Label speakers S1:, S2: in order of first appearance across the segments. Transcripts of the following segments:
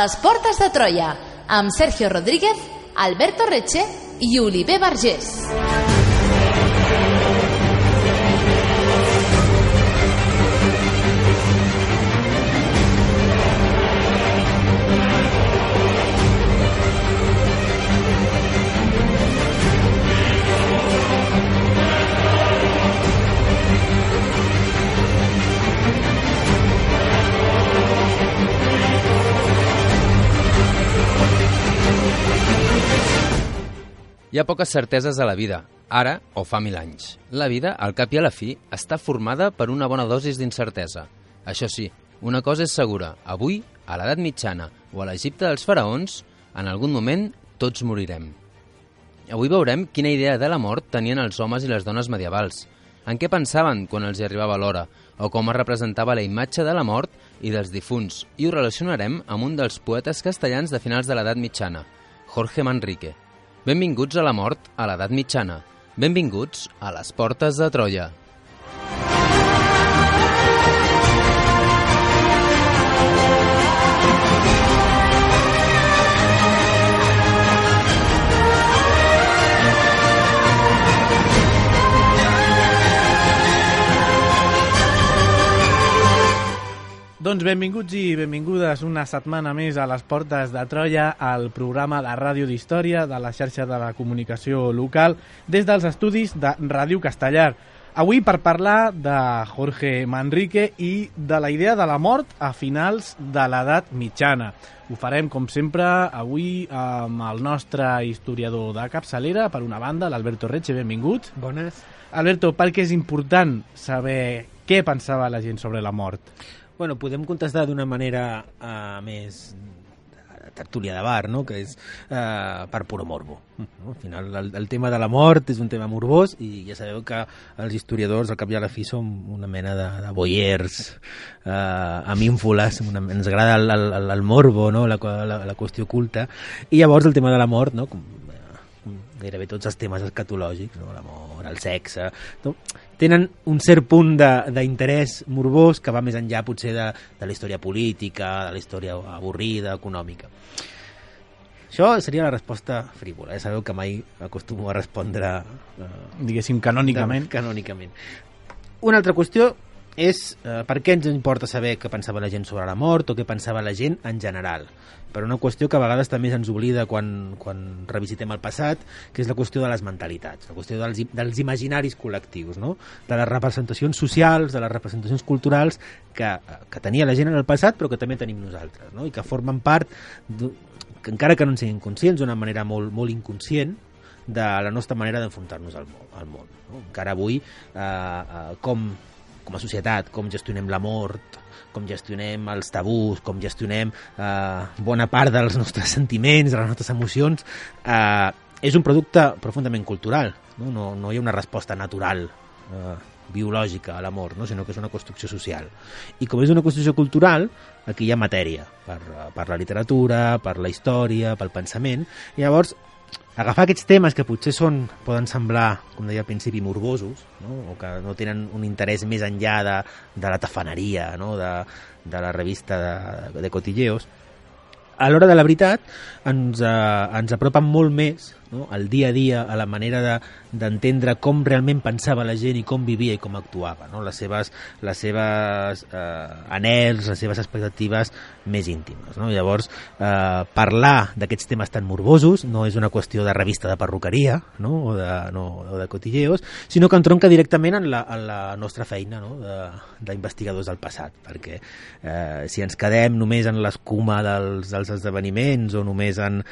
S1: les portes de Troia, amb Sergio Rodríguez, Alberto Reche i Oliver Vergés.
S2: Hi ha poques certeses a la vida, ara o fa 1000 anys. La vida, al cap i a la fi, està formada per una bona dosis d'incertesa. Això sí, una cosa és segura, avui, a l'edat mitjana o a l'Egipte dels faraons, en algun moment tots morirem. Avui veurem quina idea de la mort tenien els homes i les dones medievals, en què pensaven quan els hi arribava l'hora, o com es representava la imatge de la mort i dels difunts, i ho relacionarem amb un dels poetes castellans de finals de l'edat mitjana, Jorge Manrique. Benvinguts a la mort a l'edat mitjana. Benvinguts a les portes de Troia.
S3: Doncs benvinguts i benvingudes una setmana més a les portes de Troia, al programa de ràdio d'història de la xarxa de la comunicació local des dels estudis de Ràdio Castellar. Avui per parlar de Jorge Manrique i de la idea de la mort a finals de l'edat mitjana. Ho farem, com sempre, avui amb el nostre historiador de capçalera, per una banda, l'Alberto Reche. Benvingut.
S4: Bones.
S3: Alberto, per què és important saber què pensava la gent sobre la mort?
S4: Bueno, podem contestar d'una manera més tertúlia de bar, no? Que és per puro morbo. No? Al final, el tema de la mort és un tema morbós i ja sabeu que els historiadors, al cap i a la fi, som una mena de voyeurs amb ínfoles. Ens agrada el morbo, no? la qüestió oculta. I llavors el tema de la mort, no? Com gairebé tots els temes escatològics, no? La mort, el sexe, no? Tenen un cert punt d'interès morbós que va més enllà potser de la història política, de la història avorrida, econòmica. Això seria la resposta frívola. Sabeu que mai acostumo a respondre
S3: diguéssim canònicament.
S4: Canònicament. Una altra qüestió és per què ens importa saber què pensava la gent sobre la mort o què pensava la gent en general. Per una qüestió que a vegades també se'ns oblida quan revisitem el passat, que és la qüestió de les mentalitats, la qüestió dels imaginaris col·lectius, no? De les representacions socials, de les representacions culturals que tenia la gent en el passat però que també tenim nosaltres, no? I que formen part, que encara que no en siguin conscients, d'una manera molt, molt inconscient, de la nostra manera d'enfrontar-nos al món. No? Encara avui, com a societat, com gestionem la mort, com gestionem els tabús, com gestionem bona part dels nostres sentiments, de les nostres emocions, és un producte profundament cultural. No hi ha una resposta natural, biològica a la mort, no? Sinó que és una construcció social. I com és una construcció cultural, aquí hi ha matèria per la literatura, per la història, pel pensament, i llavors agafar aquests temes que potser poden semblar, com deia al principi, morbosos, no? O que no tenen un interès més enllà de la tafaneria, no? de la revista de cotilleos, a l'hora de la veritat ens apropen molt més, no? Al dia a dia, a la manera d'entendre com realment pensava la gent i com vivia i com actuava, no? Les seves anhels, les seves expectatives més íntimes, no? Llavors, parlar d'aquests temes tan morbosos no és una qüestió de revista de perruqueria, no? o de cotilleos, sinó que entronca directament en la nostra feina, no? D'investigadors del passat, perquè si ens quedem només en l'escuma dels esdeveniments o només en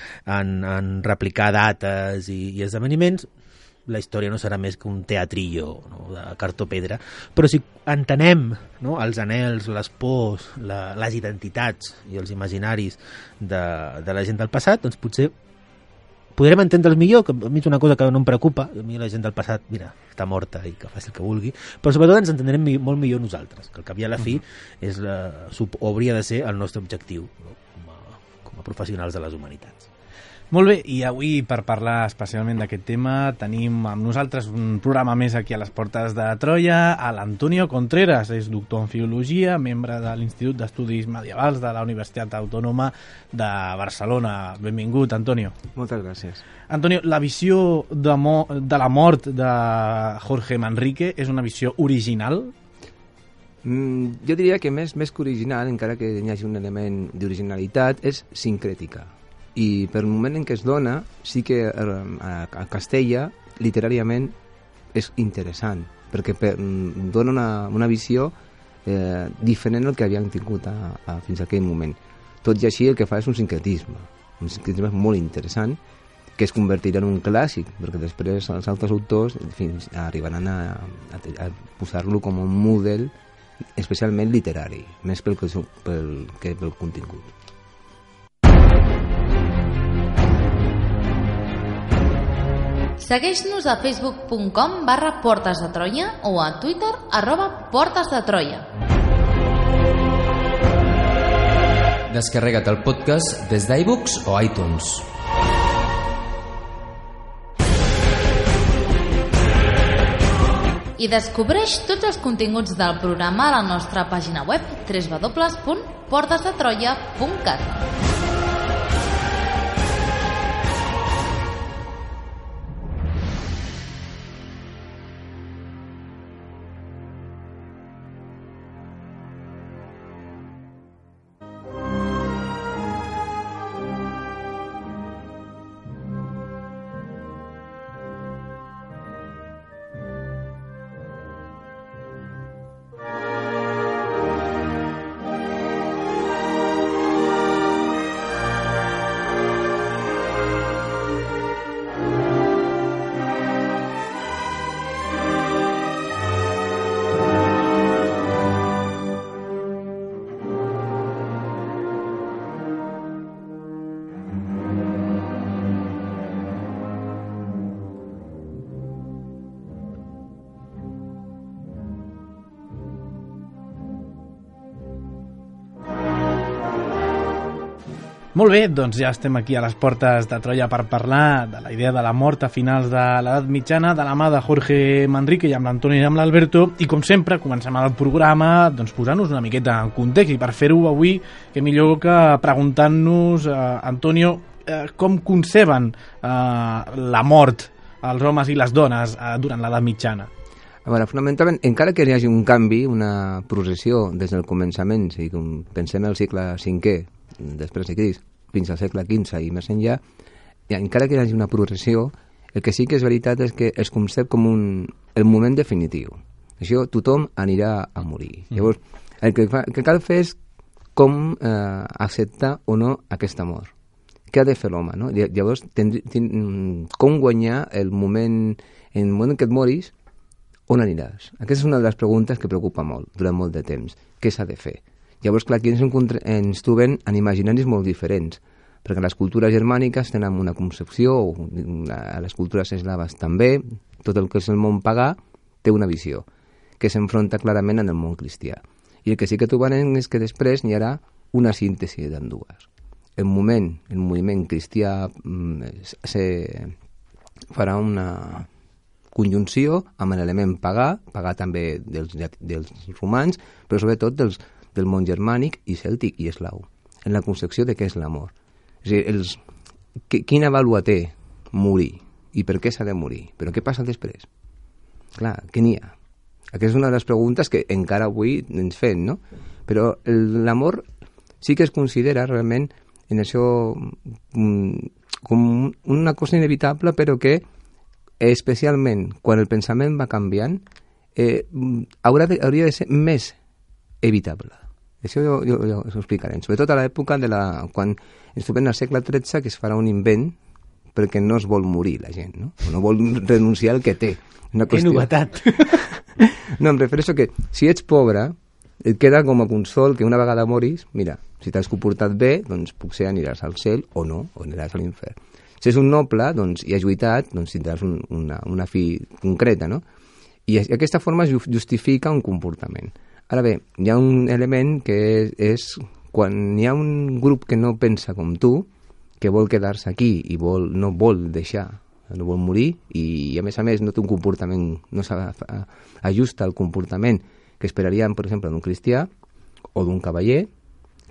S4: replicar dates i esdeveniments, la història no serà més que un teatrillo, no? De cartó-pedra, però si entenem, no? Els anhels, les pors, les identitats i els imaginaris de la gent del passat, doncs potser podrem entendre'ls millor, que a mi és una cosa que no em preocupa, a mi la gent del passat, mira, està morta i que faci el que vulgui, però sobretot ens entendrem molt millor nosaltres, que al cap i a la fi hauria de ser el nostre objectiu, no? Com a professionals de les humanitats.
S3: Molt bé, i avui per parlar especialment d'aquest tema tenim amb nosaltres un programa més aquí a les Portes de Troia, a l'Antonio Contreras, és doctor en Filologia, membre de l'Institut d'Estudis Medievals de la Universitat Autònoma de Barcelona. Benvingut, Antonio.
S5: Moltes gràcies.
S3: Antonio, la visió de la mort de Jorge Manrique és una visió original?
S5: Jo diria que més que original, encara que hi hagi un element d'originalitat, és sincrètica. I per el moment en què es dona, sí que a Castella, literàriament, és interessant, perquè dona una visió diferent del que havien tingut fins a aquell moment. Tot i així, el que fa és un sincretisme molt interessant, que es convertirà en un clàssic, perquè després els altres autors arribaran a posar-lo com un model especialment literari, més pel contingut.
S1: Segueix-nos a facebook.com/Portes de Troia o a Twitter @Portes de Troia.
S2: Descarrega't el podcast des d'iVoox o iTunes.
S1: I descobreix tots els continguts del programa a la nostra pàgina web www.portesdetroia.cat.
S3: Molt bé, doncs ja estem aquí a les Portes de Troia per parlar de la idea de la mort a finals de l'edat mitjana de la mà de Jorge Manrique i amb l'Antoni i amb l'Alberto, i com sempre comencem el programa doncs, posant-nos una miqueta en context, i per fer-ho avui que millor que preguntant-nos, Antonio, com conceben la mort els homes i les dones durant l'edat mitjana?
S5: A veure, fonamentalment, encara que hi hagi un canvi, una progressió des del començament, si pensem en el segle V, després de Crist, fins al segle XV i més enllà, encara que hi hagi una progressió, el que sí que és veritat és que es concep com el moment definitiu. Això tothom anirà a morir. Llavors, el que cal fer és com acceptar o no aquesta mort. Què ha de fer l'home? No? Llavors, com guanyar el moment en què et moris, on aniràs? Aquesta és una de les preguntes que preocupa molt, durant molt de temps. Què s'ha de fer? Llavors, clar, aquí ens trobem en imaginaris molt diferents, perquè les cultures germàniques tenen una concepció, a les cultures eslaves també, tot el que és el món pagà té una visió, que s'enfronta clarament en el món cristià. I el que sí que trobarem és que després n'hi haurà una síntesi d'ambdues. El moviment cristià farà una conjunció amb l'element pagà també dels romans, però sobretot del món germànic i cèltic i eslau, en la concepció de què és l'amor. És a dir, quina vàlua té morir i per què s'ha de morir? Però què passa després? Clar, què n'hi ha? Aquesta és una de les preguntes que encara avui ens fem, no? Però l'amor sí que es considera realment en això com una cosa inevitable, però que especialment quan el pensament va canviant hauria de ser més evitable. Això jo us ho explicaré. Sobretot a l'època quan ens trobem al segle XIII, que es farà un invent perquè no es vol morir la gent, no? O no vol renunciar al que té.
S4: Que novetat!
S5: No, em refereixo que si ets pobre, et queda com a consol que una vegada moris, mira, si t'has comportat bé, doncs potser aniràs al cel o no, o aniràs a l'infern. Si és un noble, doncs, i has lluitat, doncs tindràs una fi concreta, no? I aquesta forma justifica un comportament. Ara bé, hi ha un element que és quan hi ha un grup que no pensa com tu, que vol quedar-se aquí i no vol deixar, no vol morir, i a més no té un comportament, no s'ajusta al comportament que esperaríem, per exemple, d'un cristià o d'un cavaller,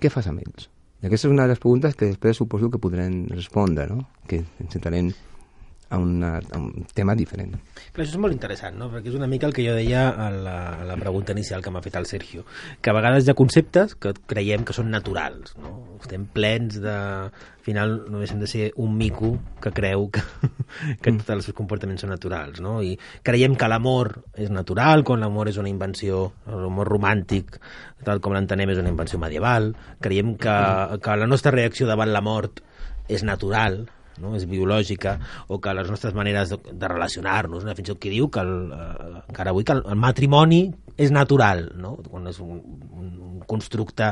S5: què fas amb ells? I aquesta és una de les preguntes que després suposo que podrem respondre, no? Que ens entrarem a un tema diferent.
S4: Clar, això és molt interessant, no? Perquè és una mica el que jo deia a la pregunta inicial que m'ha fet el Sergio, que a vegades hi ha conceptes que creiem que són naturals, no? Estem plens de... Al final només hem de ser un mico que creu que tots els seus comportaments són naturals, no? I creiem que l'amor és natural, quan l'amor és una invenció, l'amor romàntic, tal com l'entenem, és una invenció medieval. Creiem que la nostra reacció davant la mort és natural, no? És biològica, o que les nostres maneres de relacionar-nos, fins i tot qui diu que encara avui que el matrimoni és natural, no? Quan és un constructe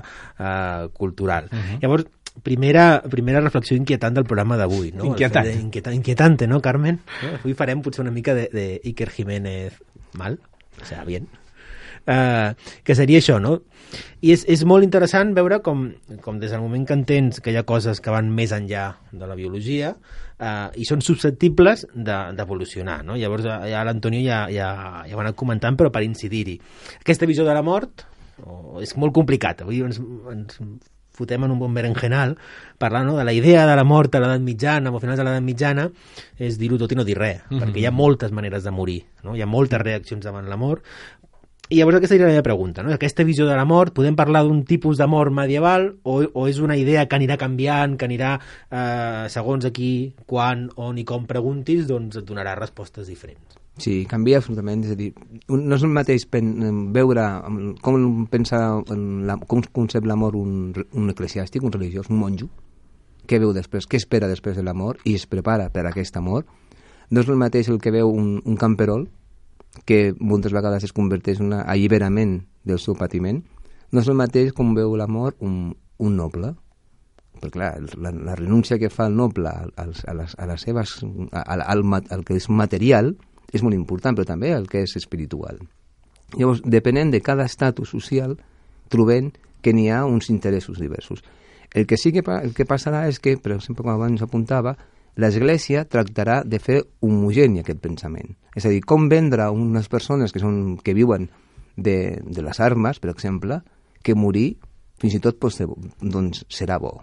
S4: cultural. Llavors, primera reflexió inquietant del programa d'avui, no? Inquietante, no, Carmen? Avui farem potser una mica de Iker Jiménez mal, o sea, bien. Que seria això, no? I és molt interessant veure com des del moment que entens que hi ha coses que van més enllà de la biologia i són susceptibles d'evolucionar, no? Llavors ja l'Antonio ja ho ha anat comentant, però per incidir-hi. Aquesta visió de la mort és molt complicat. Avui ens fotem en un bon berenjenal parlant, no, de la idea de la mort a l'edat mitjana o a finals de l'edat mitjana és dir-ho tot i no dir res, perquè hi ha moltes maneres de morir, no? Hi ha moltes reaccions davant la mort. I llavors aquesta seria la meva pregunta, no? Aquesta visió de la mort, podem parlar d'un tipus de mort medieval o és una idea que anirà canviant, que anirà segons aquí, quan, on i com preguntis, doncs et donarà respostes diferents?
S5: Sí, canvia absolutament, és a dir, no és el mateix veure com pensa, com concep la mort un eclesiàstic, un religiós, un monjo, què veu després, què espera després de la mort i es prepara per a aquesta mort. No és el mateix el que veu un camperol, que moltes vegades es converteix en un alliberament del seu patiment. No és el mateix com veu la mort un noble, perquè clar, la renúncia que fa el noble al que és material és molt important, però també el que és espiritual. Llavors, depenent de cada estatus social, trobem que n'hi ha uns interessos diversos. El que passarà és que, per exemple, com abans apuntava, l'Església tractarà de fer homogeni aquest pensament. És a dir, com vendre a unes persones que viuen de les armes, per exemple, que morir fins i tot doncs, serà bo.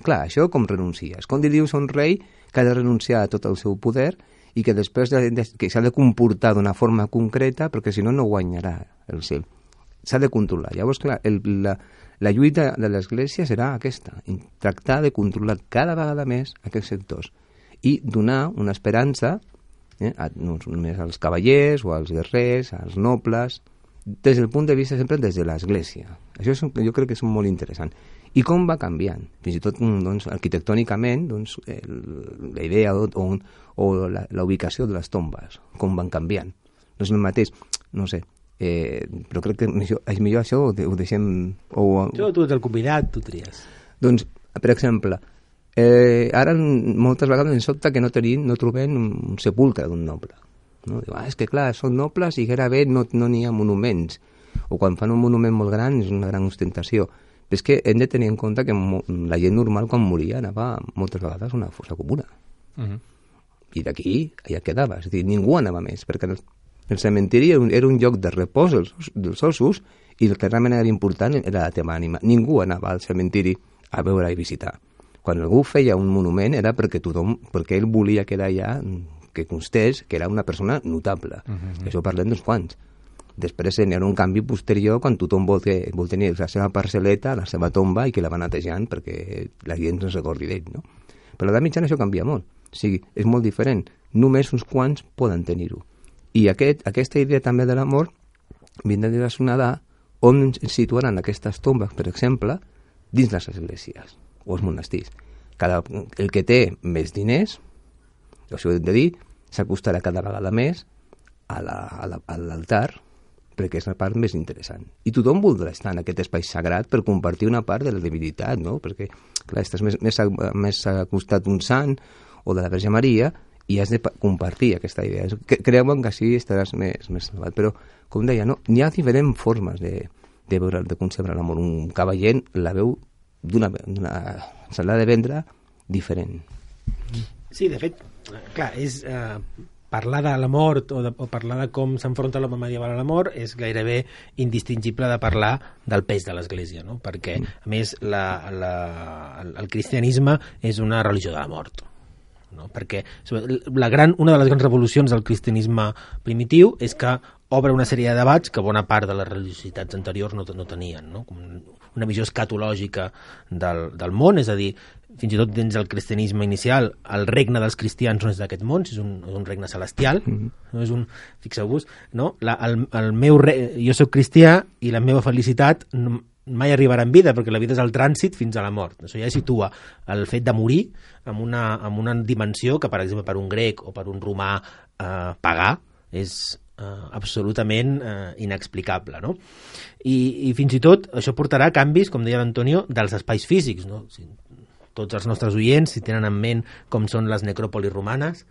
S5: Clar, això com renuncies? Com dius a un rei que ha de renunciar a tot el seu poder i que després que s'ha de comportar d'una forma concreta perquè si no guanyarà el cel. S'ha de controlar. Llavors, clar, la lluita de l'Església serà aquesta, tractar de controlar cada vegada més aquests sectors i donar una esperança no només als cavallers o als guerrers, als nobles, des del punt de vista sempre des de l'Església. Això jo crec que és molt interessant. I com va canviant? Fins i tot doncs, arquitectònicament doncs, la idea o la ubicació de les tombes, com van canviant. No és el mateix, no sé, però crec que és millor això ho deixem...
S4: Tu ets el convidat, tu tries.
S5: Doncs, per exemple, ara moltes vegades ens sobta que no trobem un sepulcre d'un noble. No? Diu, és que clar, són nobles i gairebé no n'hi ha monuments. O quan fan un monument molt gran és una gran ostentació. Però és que hem de tenir en compte que la gent normal quan moria anava moltes vegades a una fossa comuna. I d'aquí ja quedava. És a dir, ningú anava més, perquè el cementiri era un lloc de repòs dels ossos i el que realment era important era la teva ànima. Ningú anava al cementiri a veure i visitar. Quan algú feia un monument era perquè ell volia quedar allà, que constés que era una persona notable. Això parlem d'uns quants. Després hi ha un canvi posterior quan tothom vol tenir la seva parcel·leta, la seva tomba i que la va netejant perquè la gent no es recordi d'ell, no? Però a l'edat mitjana això canvia molt. O sigui, és molt diferent. Només uns quants poden tenir-ho. I aquesta idea també de la mort vindrà relacionada on ens situaran aquestes tombes, per exemple, dins les esglésies o els monestirs. El que té més diners, això ho hem de dir, s'acostarà cada vegada més a l'altar perquè és la part més interessant. I tothom voldrà estar en aquest espai sagrat per compartir una part de la divinitat, no? Perquè, clar, estàs més acostat d'un sant o de la Verge Maria i has de compartir aquesta idea. Creuen que així estaràs més salvat. Però, com deia, no? N'hi ha diferents formes de concebre l'amor. Un cavaller la veu se l'ha de vendre diferent.
S4: Sí, de fet, clar, és... parlar de la mort o parlar de com s'enfronta l'home medieval a la mort és gairebé indistingible de parlar del pes de l'Església, no? Perquè, a més, el cristianisme és una religió de la mort. No? Perquè una de les grans revolucions del cristianisme primitiu és que obre una sèrie de debats que bona part de les religiositats anteriors no tenien, no? Com una visió escatològica del món, és a dir, fins i tot dins del cristianisme inicial, el regne dels cristians no és d'aquest món, és un regne celestial, no és fixeu-vos, no? Jo soc cristià i la meva felicitat mai arribarà en vida, perquè la vida és el trànsit fins a la mort. Això ja situa el fet de morir amb una dimensió que, per exemple, per un grec o per un romà pagà és absolutament inexplicable, no? I fins i tot això portarà a canvis, com deia l'Antonio, dels espais físics, no? Tots els nostres oients, si tenen en ment com són les necròpolis romanes,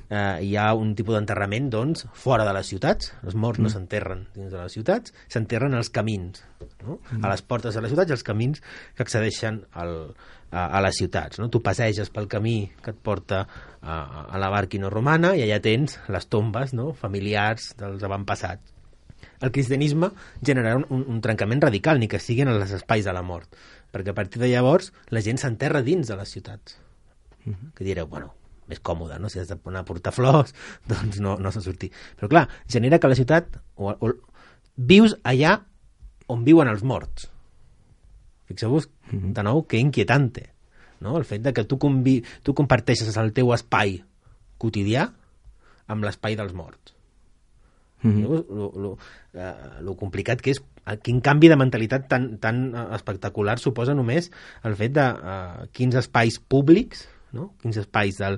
S4: hi ha un tipus d'enterrament, doncs, fora de les ciutats. Els morts no s'enterren dins de les ciutats, s'enterren als camins, no? A les portes de les ciutats i als camins que accedeixen a les ciutats, no? Tu passeges pel camí que et porta a la Barquina romana i allà tens les tombes, no? Familiars dels avantpassats. El cristianisme generarà un trencament radical, ni que siguin els espais de la mort, perquè a partir de llavors la gent s'enterra dins de les ciutats. Que direu, bueno, més còmode, no? Si has de portar flors, doncs no s'ha de sortir. Però clar, genera que la ciutat vius allà on viuen els morts. Fixeu-vos, de nou, que inquietante, no? El fet de que tu comparteixes el teu espai quotidià amb l'espai dels morts. Lo complicat que és, quin canvi de mentalitat tan espectacular suposa només el fet de quins espais públics, no? Quins espais de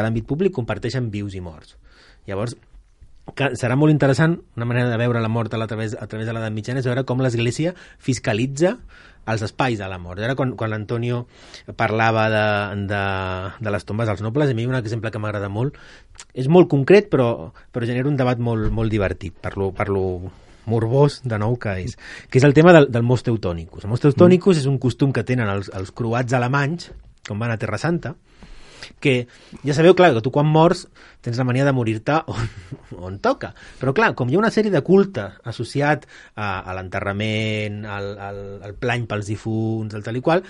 S4: l'àmbit públic comparteixen vius i morts. Llavors, serà molt interessant, una manera de veure la mort a través de l'edat mitjana és veure com l'Església fiscalitza els espais de la mort. Ara, quan l'Antonio parlava de les tombes dels nobles, a mi un exemple que m'agrada molt, és molt concret, però genera un debat molt divertit, per lo morbós, de nou, que és el tema del mos teutonicus. El mos teutonicus és un costum que tenen els croats alemanys, quan van a Terra Santa, que ja sabeu, clar, que tu quan mors tens la mania de morir-te on toca, però clar, com hi ha una sèrie de culte associat a l'enterrament, al plany pels difunts, el tal i qual,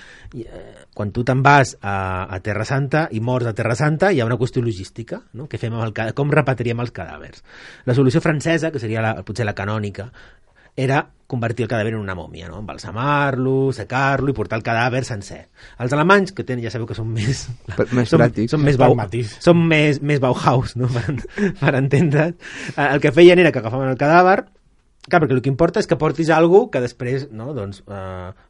S4: quan tu te'n vas a Terra Santa i mors a Terra Santa, hi ha una qüestió logística, no? Què fem com repatriem els cadàvers? La solució francesa, que seria potser la canònica, era convertir el cadàver en una mòmia, no? Embalsamar-lo, secar-lo i portar el cadàver sencer. Els alemanys, que ja sabeu que són més pràctics, són més Bauhaus, no? per entendre's, el que feien era que agafaven el cadàver, clar, perquè el que importa és que portis alguna que després, no? Doncs,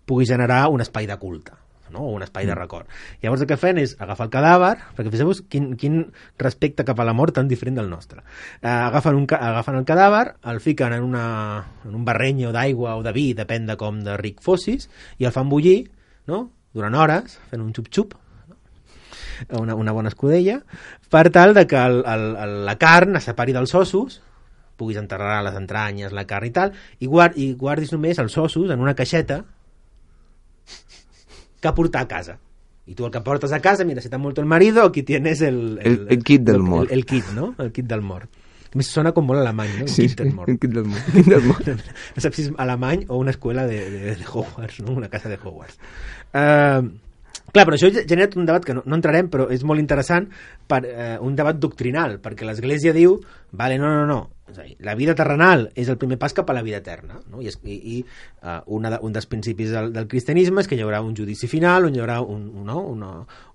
S4: pugui generar un espai de culte, no? O un espai de record. Llavors el que feien és agafar el cadàver, perquè fixeu-vos quin respecte cap a la mort tan diferent del nostre. Agafen el cadàver, el fiquen en un barrenyo d'aigua o de vi, depèn de com de ric fossis, i el fan bullir, no? Durant hores, fent un xup-xup, una bona escudella, per tal de que la carn es separi dels ossos, puguis enterrar les entranyes, la carn i tal, i guardis només els ossos en una caixeta que portar a casa. I tu el que portes a casa, mira, si t'ha muerto el marido, aquí tienes el
S5: kit del mort.
S4: El kit, no? El kit del mort. A més, sona com molt alemany, no?
S5: Sí,
S4: del mort.
S5: el kit del mort.
S4: No saps si és alemany o una escola de Hogwarts, no? Una casa de Hogwarts. Clar, però això ha generat un debat que no entrarem, però és molt interessant, un debat doctrinal, perquè l'Església diu, vale, no, és a dir, la vida terrenal és el primer pas cap a la vida eterna, no? I un dels principis del cristianisme és que hi haurà un judici final, on hi haurà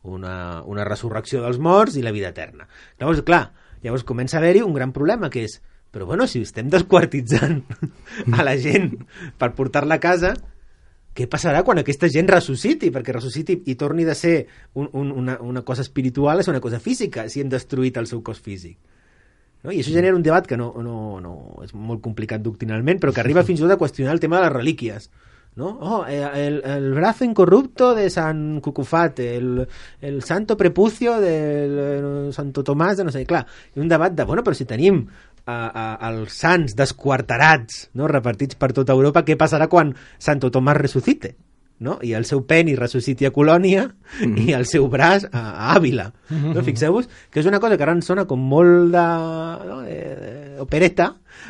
S4: una resurrecció dels morts i la vida eterna. Llavors comença a haver-hi un gran problema, que és, però bueno, si estem desquartitzant a la gent per portar-la a casa, què passarà quan aquesta gent ressusciti? Perquè ressusciti i torni de ser una cosa espiritual és una cosa física, si hem destruït el seu cos físic. No? I això genera un debat que no és molt complicat doctrinalment, però que arriba fins i tot a qüestionar el tema de les relíquies. ¿No? El brazo incorrupto de San Cucufate, el santo prepucio de Santo Tomàs, de no sé, clar, i un debat de, bueno, però si tenim els sants desquarterats, no, repartits per tota Europa, què passarà quan Santo Tomàs ressuscite? no? I el seu penis ressusciti a Colònia i el seu braç a Àvila. No? Fixeu-vos que és una cosa que ara ens sona com molt de opereta,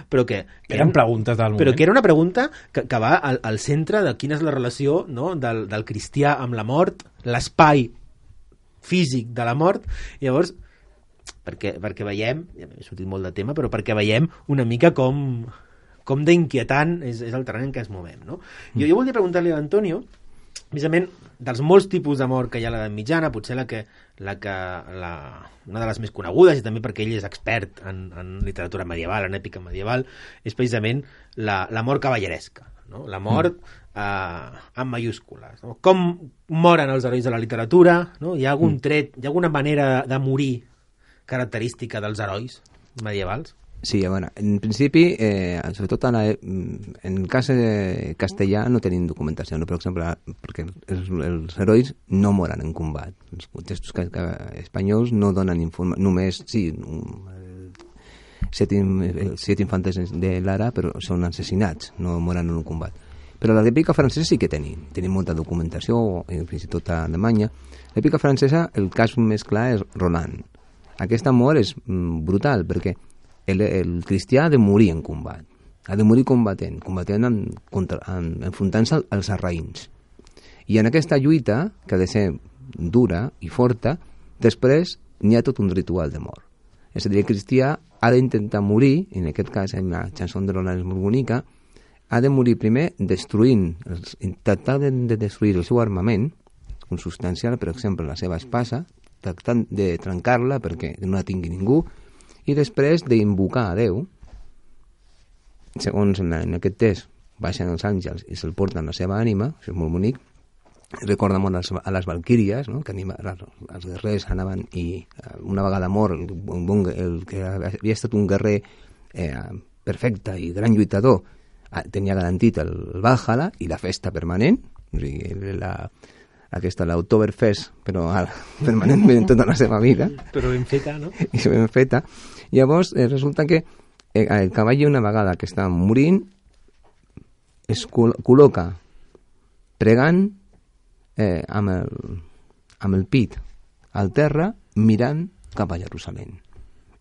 S4: però que
S3: eren preguntes del moment.
S4: Però que era una pregunta que va al centre de quina és la relació, no? del cristià amb la mort, l'espai físic de la mort. I llavors, perquè veiem, ja m'he sortit molt de tema, però perquè veiem una mica com d'inquietant és el terreny en què ens movem, no? Jo volia preguntar-li a Antonio, precisament, dels molts tipus d'amor que hi ha a l'edat mitjana, potser una de les més conegudes, i també perquè ell és expert en literatura medieval, en èpica medieval, és precisament l'amor cavalleresca, no? L'amor amb mayúscules, no? Com moren els herois de la literatura, no? Hi ha algun tret, hi ha alguna manera de morir característica dels herois medievals?
S5: Sí, bueno, en principi, sobretot en el cas castellà no tenim documentació, no? Per exemple, perquè els herois no moren en combat. Els textos espanyols no donen informació, només, sí, set infantes de Lara, però són assassinats, no moren en un combat. Però la l'èpica francesa sí que tenim molta documentació, fins i tot a Alemanya. L'èpica francesa, el cas més clar és Roland. Aquest amor és brutal, perquè el cristià ha de morir en combat, ha de morir combatent enfrontant-se als sarraïns, i en aquesta lluita, que ha de ser dura i forta, després n'hi ha tot un ritual de mort. És a dir, el cristià ha d'intentar morir, en aquest cas en la cançó de Roland és molt bonica, ha de morir primer intentar de destruir el seu armament consubstancial, per exemple la seva espasa, tractant de trencar-la perquè no la tingui ningú, i després d'invocar a Déu. Segons en aquest text baixen els àngels i se'l porten la seva ànima, això és molt bonic, recorda molt a les valquíries, no? Que els guerrers anaven i una vegada mort el que havia estat un guerrer perfecte i gran lluitador tenia garantit el Valhalla i la festa permanent, o sigui, l'Oktoberfest, però permanentment tota la seva vida.
S4: Però ben feta, no?
S5: I ben feta. Llavors, resulta que el cavall, una vegada que està morint, es col·loca pregant amb el pit al terra, mirant cap a Jerusalem,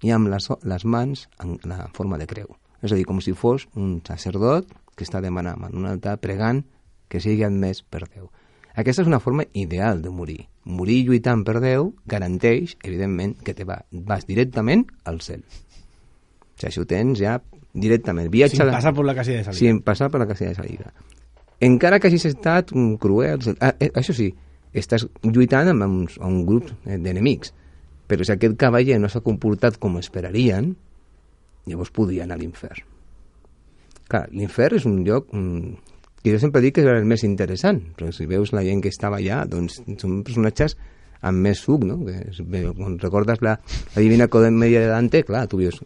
S5: i amb les mans en la forma de creu. És a dir, com si fos un sacerdot que està demanant en un altar, pregant que sigui admès per Déu. Aquesta és una forma ideal de morir. Morir lluitant per Déu garanteix, evidentment, que vas directament al cel. O sigui, això ho tens ja directament.
S3: Sin passar per la casilla de salida.
S5: Sin passar per la casilla de salida. Encara que hagis estat cruel... Això sí, estàs lluitant amb un grup d'enemics. Però si aquest cavaller no s'ha comportat com esperarien, llavors podria anar a l'infern. Clar, l'infern és un lloc... que jo sempre dic que és el més interessant, però si veus la gent que estava allà, doncs són personatges amb més suc, no? Quan recordes la Divina Comèdia de Dante, clar, tu veus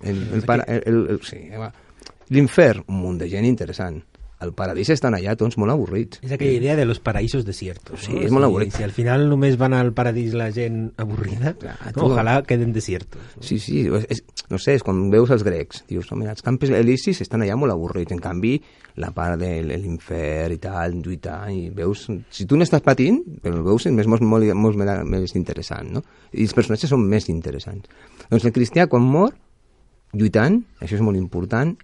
S5: l'infern, un munt de gent interessant. El paradís estan allà tots molt avorrits.
S4: És aquella idea de los paraísos desiertos.
S5: Sí, és molt avorrit.
S4: Si al final només van al paradís la gent avorrida, ojalà queden desiertos.
S5: Sí, no sé, és quan veus els grecs, dius, mira, els campus elisis estan allà molt avorrits, en canvi, la part de l'infern i tal, lluitar, i veus... Si tu n'estàs patint, però el veus és molt més interessant, no? I els personatges són més interessants. Doncs el cristià, quan mor, lluitant, això és molt important,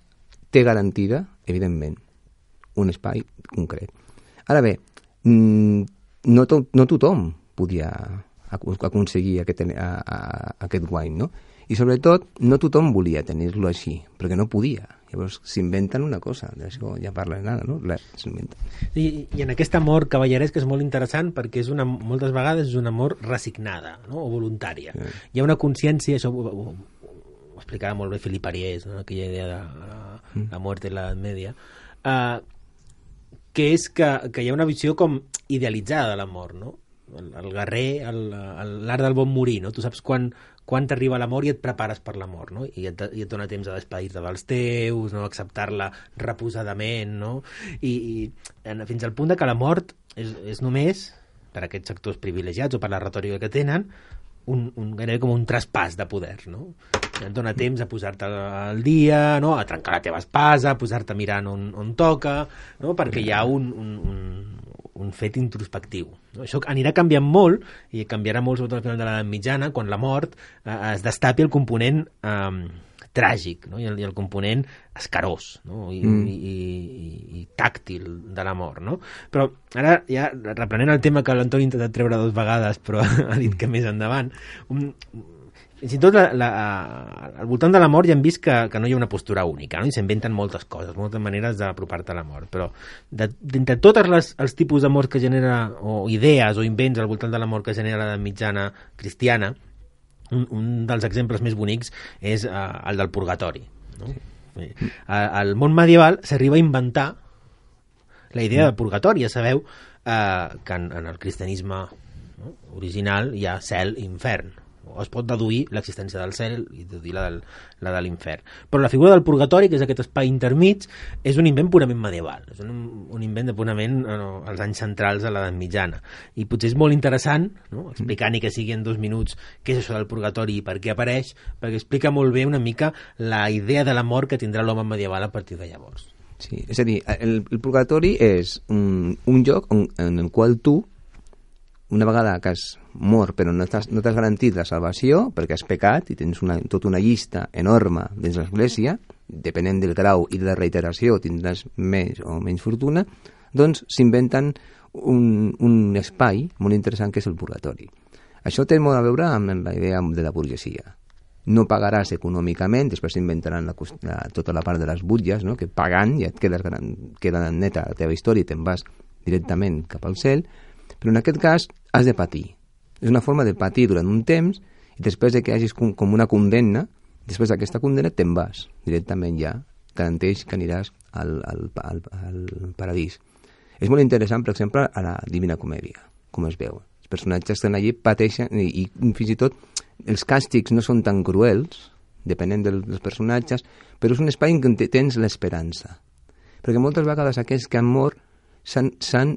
S5: té garantida, evidentment, un espai concret. Ara bé, no tothom podia aconseguir aquest guany, no? I sobretot, no tothom volia tenir-lo així, perquè no podia. Llavors s'inventen una cosa, d'això ja parlen ara, no?
S4: I en aquest amor cavalleresc és molt interessant perquè és moltes vegades és un amor resignada, no? O voluntària. Sí. Hi ha una consciència, això ho explicava molt bé Philippe Ariès, no? Aquella idea de la mort de l'edat media, que és que hi ha una visió com idealitzada de l'amor, no? El guerrer, l'art del bon morir, no? Tu saps quan t'arriba l'amor i et prepares per l'amor, no? I et dona temps a despedir-te dels teus, no? Acceptar-la reposadament, no? I fins al punt de que la mort és només, per aquests sectors privilegiats o per la retòrica que tenen, gairebé com un traspàs de poder, no? Et dona temps a posar-te al dia, no? A trencar la teva espasa, a posar-te mirant on toca, no? Perquè hi ha un fet introspectiu. No? Això anirà canviant molt, i canviarà molt sobretot al final de l'edat mitjana, quan la mort es destapi el component tràgic, no? I el component escarós, no? I tàctil de la mort. No? Però ara, ja reprenent el tema que l'Antoni ha intentat treure 2 vegades, però ha dit que més endavant, fins i tot al voltant de la mort ja hem vist que no hi ha una postura única, no? I s'inventen moltes coses, moltes maneres d'apropar-te a la mort, però d'entre tots els tipus de mort que genera, o idees o invents al voltant de la mort que genera l'edat mitjana cristiana, un dels exemples més bonics és el del purgatori. No? Sí. Al món medieval s'arriba a inventar la idea de purgatori. Ja sabeu que en el cristianisme, no, original hi ha cel i infern. Es pot deduir l'existència del cel i deduir la de l'infern. Però la figura del purgatori, que és aquest espai intermig, és un invent purament medieval. És un invent de purament als anys centrals de l'edat mitjana. I potser és molt interessant, no? Explicar ni que sigui en 2 minuts què és això del purgatori i per què apareix, perquè explica molt bé una mica la idea de la mort que tindrà l'home medieval a partir de llavors.
S5: Sí, és a dir, el purgatori és un lloc en el qual tu, una vegada que has mort però no t'has garantit la salvació perquè has pecat i tens tota una llista enorme dins l'església, depenent del grau i de la reiteració tindràs més o menys fortuna, doncs s'inventen un espai molt interessant que és el purgatori. Això té molt a veure amb la idea de la burgesia. No pagaràs econòmicament, després s'inventaran tota la part de les butlles, no? Que pagant ja et queda neta la teva història i te'n vas directament cap al cel, però en aquest cas has de patir. És una forma de patir durant un temps i després de que hagis com una condemna, després d'aquesta condemna te'n vas directament ja, garanteix que aniràs al paradís. És molt interessant, per exemple, a la Divina Comèdia, com es veu. Els personatges que estan allí pateixen i fins i tot els càstigs no són tan cruels, depenent dels personatges, però és un espai en què tens l'esperança. Perquè moltes vegades aquells que han mort s'han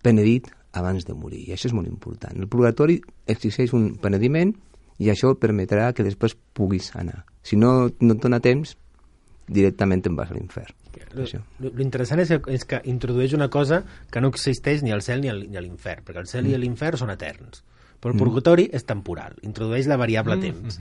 S5: penedit abans de morir, i això és molt important. El purgatori exigeix un penediment i això permetrà que després puguis anar. Si no et dona temps, directament te'n vas a l'infern.
S4: L'interessant és que introdueix una cosa que no existeix ni al cel ni a l'infern, perquè el cel i l'infern són eterns, però el purgatori és temporal, introdueix la variable temps.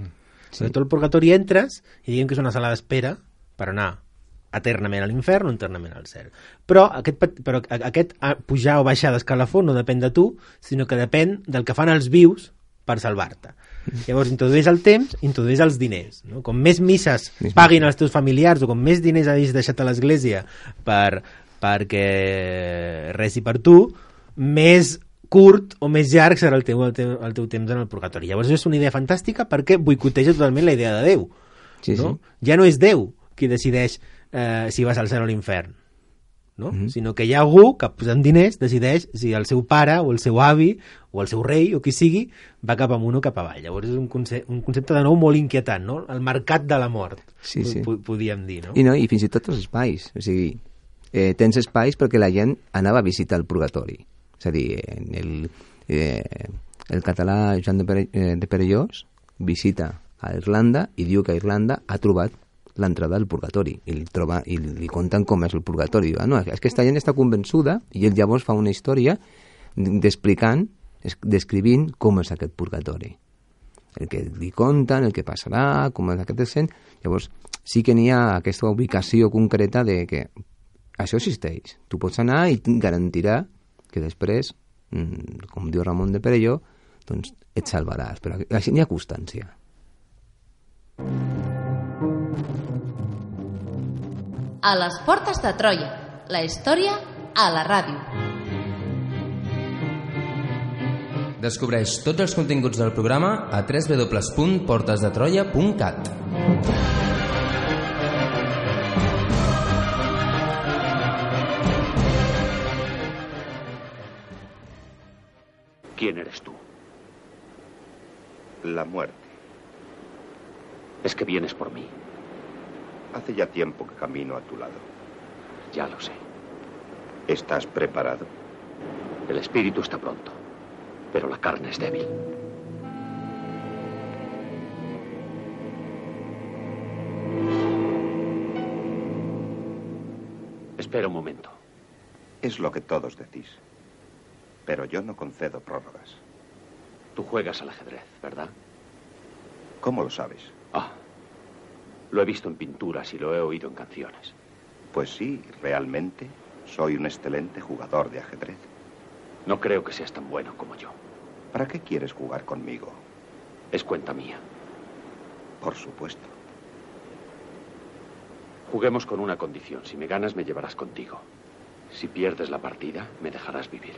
S4: Sí. Tot el purgatori entres i diguem que és una sala d'espera per anar eternament a l'infern o eternament al cel. Però aquest pujar o baixar d'escalafó no depèn de tu, sinó que depèn del que fan els vius per salvar-te. Llavors introdueix el temps, introdueix els diners. No? Com més misses paguin els teus familiars o com més diners hagis deixat a l'església perquè resi per tu, més curt o més llarg serà el teu temps en el purgatori. Llavors és una idea fantàstica perquè boicoteja totalment la idea de Déu.
S5: Sí,
S4: no?
S5: sí.
S4: Ja no és Déu qui decideix si vas al cel o a l'infern, no? Sinó que hi ha algú que posant diners decideix si el seu pare o el seu avi o el seu rei o qui sigui va cap amunt o cap avall. Llavors és un concepte de nou molt inquietant, no? El mercat de la mort, sí. Podríem dir, no?
S5: I fins i tot els espais, o sigui, tens espais perquè la gent anava a visitar el purgatori, és a dir, el català Joan de Perellós visita a Irlanda i diu que a Irlanda ha trobat l'entrada al purgatori i li conten com és el purgatori. Diu, no, és que aquesta gent està convençuda i ell llavors fa una història descrivint com és aquest purgatori. El que li conten, el que passarà, com és aquest descent. Llavors sí que n'hi ha aquesta ubicació concreta de que això existeix. Tu pots anar i garantirà que després, com diu Ramon de Perelló, doncs et salvaràs. Però així n'hi ha constància.
S1: A les portes de Troia, la història a la ràdio.
S2: Descobreix tots els continguts del programa a www.portesdetroia.cat.
S6: ¿Quién eres tú?
S7: La muerte.
S6: Es que vienes por mí.
S7: Hace ya tiempo que camino a tu lado.
S6: Ya lo sé.
S7: ¿Estás preparado?
S6: El espíritu está pronto, pero la carne es débil. Espera un momento.
S7: Es lo que todos decís. Pero yo no concedo prórrogas.
S6: Tú juegas al ajedrez, ¿verdad?
S7: ¿Cómo lo sabes?
S6: Lo he visto en pinturas y lo he oído en canciones.
S7: Pues sí, realmente soy un excelente jugador de ajedrez.
S6: No creo que seas tan bueno como yo.
S7: ¿Para qué quieres jugar conmigo?
S6: Es cuenta mía.
S7: Por supuesto.
S6: Juguemos con una condición. Si me ganas, me llevarás contigo. Si pierdes la partida, me dejarás vivir.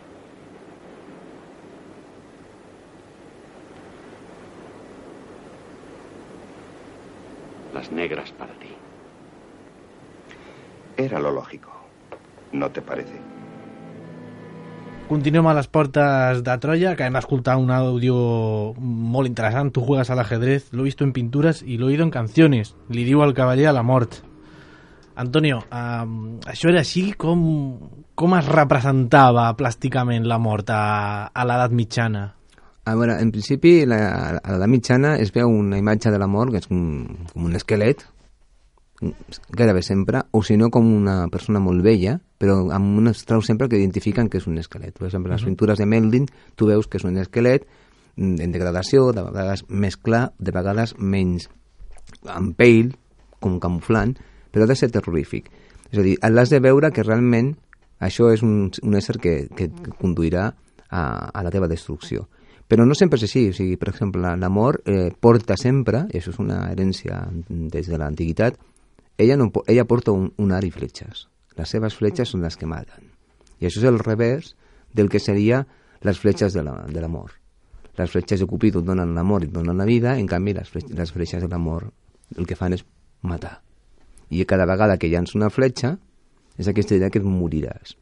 S6: Las negras para ti.
S7: Era lo lógico. ¿No te parece?
S3: Continuem a les portes de Troya, que hem d'escoltar un àudio molt interessant. Tu juegas al ajedrez, lo he visto en pinturas y lo he oído en canciones. Li diu el cavaller a la mort. Antonio, això era així? Com es representava plàsticament la mort a l'edat mitjana?
S5: A veure, en principi, a l'edat mitjana es veu una imatge de la mort, que és com un esquelet, gairebé sempre, o si no com una persona molt vella, però amb unes traus sempre que identifiquen que és un esquelet. Per exemple, les pintures de Melding, tu veus que és un esquelet en degradació, de vegades més clar, de vegades menys, amb pell, com camuflant, però ha de ser terrorífic. És a dir, l'has de veure que realment això és un ésser que conduirà a la teva destrucció. Però no sempre és així. O sigui, per exemple, l'amor porta sempre, i això és una herència des de l'antiguitat, ella porta un arc i fletxes. Les seves fletxes són les que maten. I això és el revers del que seria les fletxes de l'amor. Les fletxes de Cupido et donen l'amor i et donen la vida, en canvi les fletxes de l'amor el que fan és matar. I cada vegada que llança una fletxa és aquesta idea que et moriràs.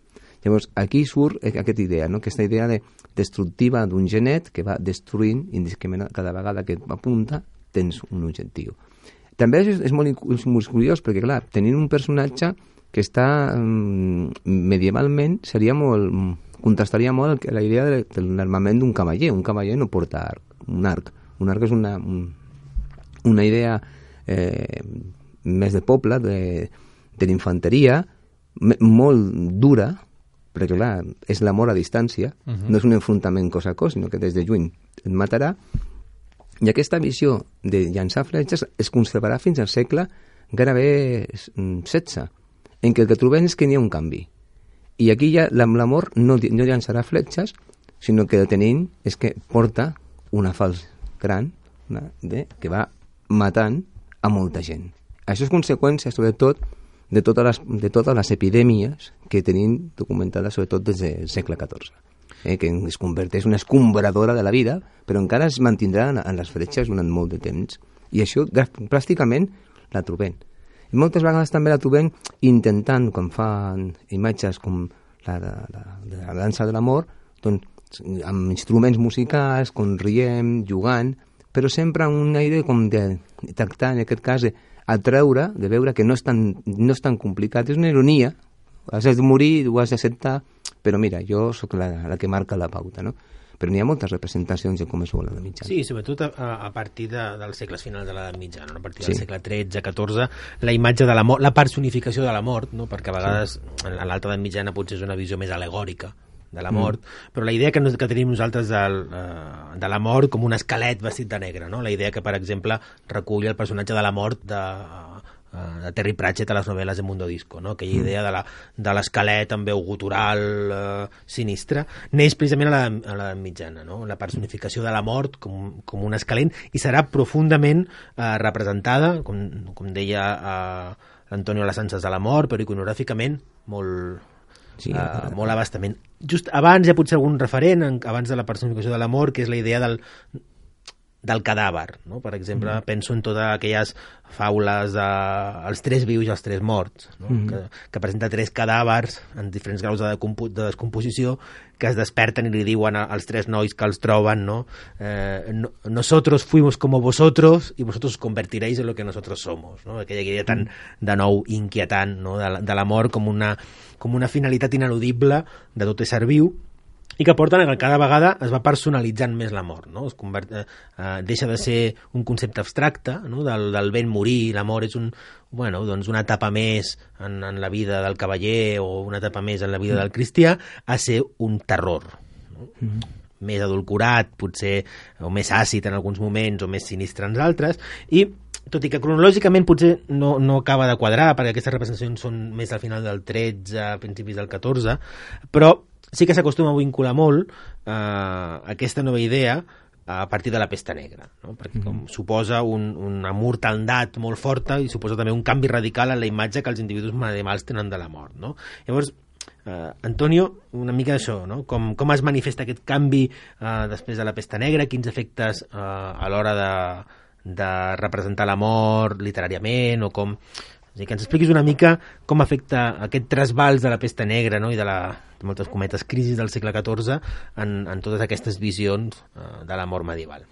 S5: Llavors, aquí surt aquesta idea, no? Aquesta idea destructiva d'un genet que va destruint indiscriminadament cada vegada que apunta tens un objectiu. També és molt curiós perquè, clar, tenint un personatge que està medievalment contrastaria molt la idea de l'armament d'un cavaller. Un cavaller no porta un arc. Un arc és una idea més de poble, de l'infanteria, molt dura, perquè clar, és l'amor a distància, no és un enfrontament cos a cos, sinó que des de lluny et matarà. I aquesta visió de llançar fletxes es conservarà fins al segle gairebé XVI, en què el que trobem és que n'hi ha un canvi. I aquí ja l'amor no llançarà fletxes, sinó que el que tenim és que porta una falç gran que va matant a molta gent. Això és conseqüència, sobretot, de totes les epidèmies que tenim documentades, sobretot des del segle XIV. Que es converteix en una escombradora de la vida, però encara es mantindrà en les fletxes durant molt de temps. I això pràcticament la trobem. I moltes vegades també la trobem intentant, quan fan imatges com la de la dansa de l'amor, doncs, amb instruments musicals, com riem, jugant, però sempre amb un aire com de tractar, en aquest cas, atreure, de veure que no és tan complicat. És una ironia, has de morir, ho has d'acceptar, però mira, jo sóc la que marca la pauta, no? Però n'hi ha moltes representacions de com es vol a l'edat mitjana.
S4: Sí, sobretot a partir dels segles finals de l'edat mitjana, no? A partir del segle XIII, XIV, la imatge de la mort, la personificació de la mort, no? Perquè a vegades a l'alta edat mitjana potser és una visió més alegòrica de la mort, però la idea que tenim nosaltres de la mort com un esquelet vestit de negre, no? La idea que, per exemple, recull el personatge de la mort de Terry Pratchett a les novel·les de Mundo Disco, no? Aquella idea de l'esquelet amb veu gutural sinistre, neix precisament a l'edat mitjana, no? La personificació de la mort com un esquelet, i serà profundament representada, com deia l'Antonio a les Anses de la mort, però iconogràficament molt abastament. Just abans hi ha potser algun referent, abans de la personificació de la mort, que és la idea del cadàver, no? Per exemple, penso en totes aquelles faules dels 3 vius i els 3 morts, no? Que presenta 3 cadàvers en diferents graus de descomposició que es desperten i li diuen als 3 nois que els troben, no? Nosotros fuimos como vosotros y vosotros os convertiréis en lo que nosotros somos, no? Aquella idea tan de nou inquietant, no? De la mort com una finalitat ineludible de tot ésser viu, i que porten que cada vegada es va personalitzant més la mort, no? Deixa de ser un concepte abstracte, no? Del ben morir. La mort és una etapa més en la vida del cavaller o una etapa més en la vida del cristià, a ser un terror, no? Més adulcorat, potser, o més àcid en alguns moments, o més sinistre en altres, i tot i que cronològicament potser no acaba de quadrar, perquè aquestes representacions són més al final del 13, a principis del 14, però sí que s'acostuma a vincular molt aquesta nova idea a partir de la pesta negra, no? Perquè com suposa una mortaldat molt forta i suposa també un canvi radical en la imatge que els individus medievals tenen de la mort, no? Llavors, Antonio, una mica d'això, no? Com es manifesta aquest canvi després de la pesta negra, quins efectes a l'hora de representar la mort literàriament, o com... És a dir, que ens expliquis una mica com afecta aquest trasbals de la pesta negra, no? I de la, moltes cometes, crisi del segle XIV en totes aquestes visions de la mort medieval.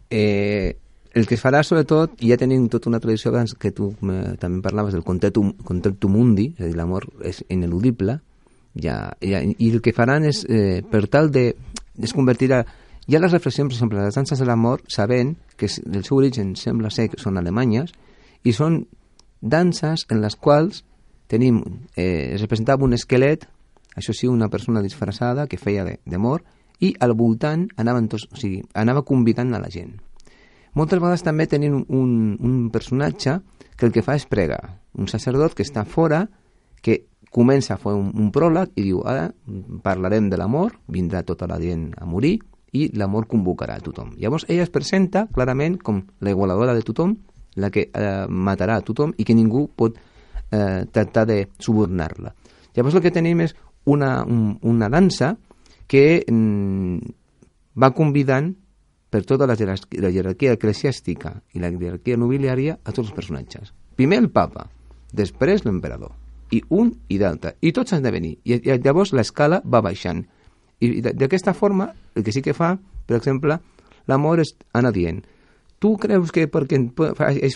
S5: El que es farà, sobretot, i ja tenim tota una tradició que tu també parlaves del conceptum mundi, és a dir, l'amor és ineludible, i el que faran és, per tal de convertir ja les reflexions, per exemple, les danses de l'amor, sabent que el seu origen sembla ser que són alemanyes, i són danses en les quals tenim, es representava un esquelet, això sí, una persona disfressada que feia de mort, i al voltant anava convidant a la gent. Moltes vegades també tenim un personatge que el que fa és pregar, un sacerdot que està fora, que comença a fer un pròleg i diu, ara parlarem de l'amor, vindrà tota la gent a morir i l'amor convocarà a tothom. Llavors ella es presenta clarament com la igualadora de tothom, la que matarà a tothom i que ningú pot tractar de subornar-la. Llavors el que tenim és una dansa que va convidant per tota la jerarquia eclesiàstica i la jerarquia nobiliària a tots els personatges. Primer el papa, després l'emperador, i un i d'altre, i tots han de venir. I llavors l'escala va baixant. I d'aquesta forma, el que sí que fa, per exemple, l'amor és anar dient, tu creus que perquè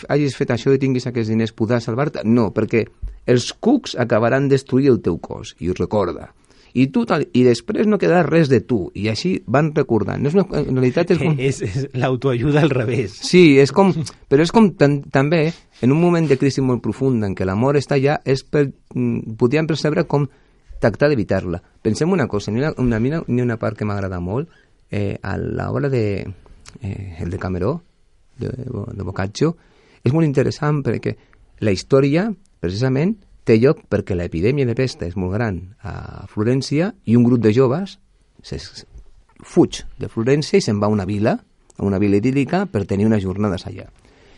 S5: hagis fet això i tinguis aquests diners podràs salvar-te? No, perquè els cucs acabaran destruint el teu cos, i ho recorda. I després no quedarà res de tu, i així van recordant. En realitat és com...
S4: És l'autoajuda al revés.
S5: Sí, però és com també, en un moment de crisi molt profunda en què l'amor està allà, podríem percebre com tractar d'evitar-la. Pensem una cosa, n'hi ha una part que m'agrada molt, a l'obra de el Decameró, de Boccaccio, és molt interessant perquè la història, precisament, té lloc perquè l'epidèmia de pesta és molt gran a Florència i un grup de joves fuig de Florència i se'n va a una vila idíl·lica per tenir unes jornades allà.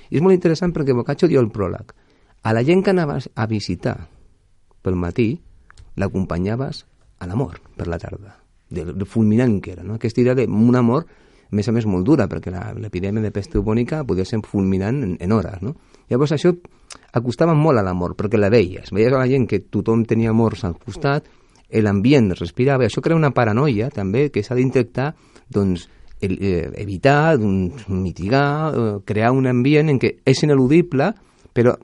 S5: I és molt interessant perquè Boccaccio diu el pròleg. A la gent que anaves a visitar pel matí l'acompanyaves a la mort per la tarda, del fulminant que era, no? Aquesta idea d'un amor a més molt dura, perquè l'epidèmia de pesta bubònica podia ser fulminant en hores, no? Llavors això acostava molt a l'amor, perquè la veies a la gent que tothom tenia morts al costat, l'ambient respirava, i això crea una paranoia també que s'ha d'intentar doncs, evitar, mitigar, crear un ambient en què és ineludible, però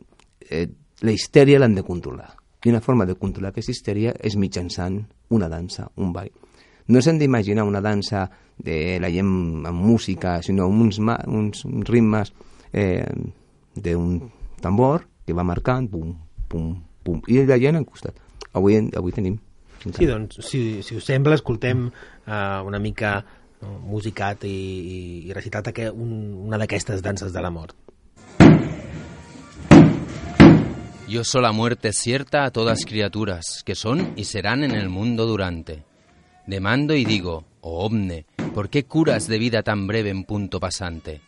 S5: la histèria l'han de controlar. I una forma de controlar aquesta histèria és mitjançant una dansa, un ball. No s'han d'imaginar una dansa de la gent amb música, sinó uns ritmes d'un tambor que va marcant, pum, pum, pum, i la gent al costat. Avui tenim.
S4: Sí, doncs, si us sembla, escoltem una mica musicat i recitat una d'aquestes danses de la mort.
S2: Yo soy la muerte cierta a todas criaturas, que son y serán en el mundo durante. Demando y digo, oh omne, ¿por qué curas de vida tan breve en punto pasante?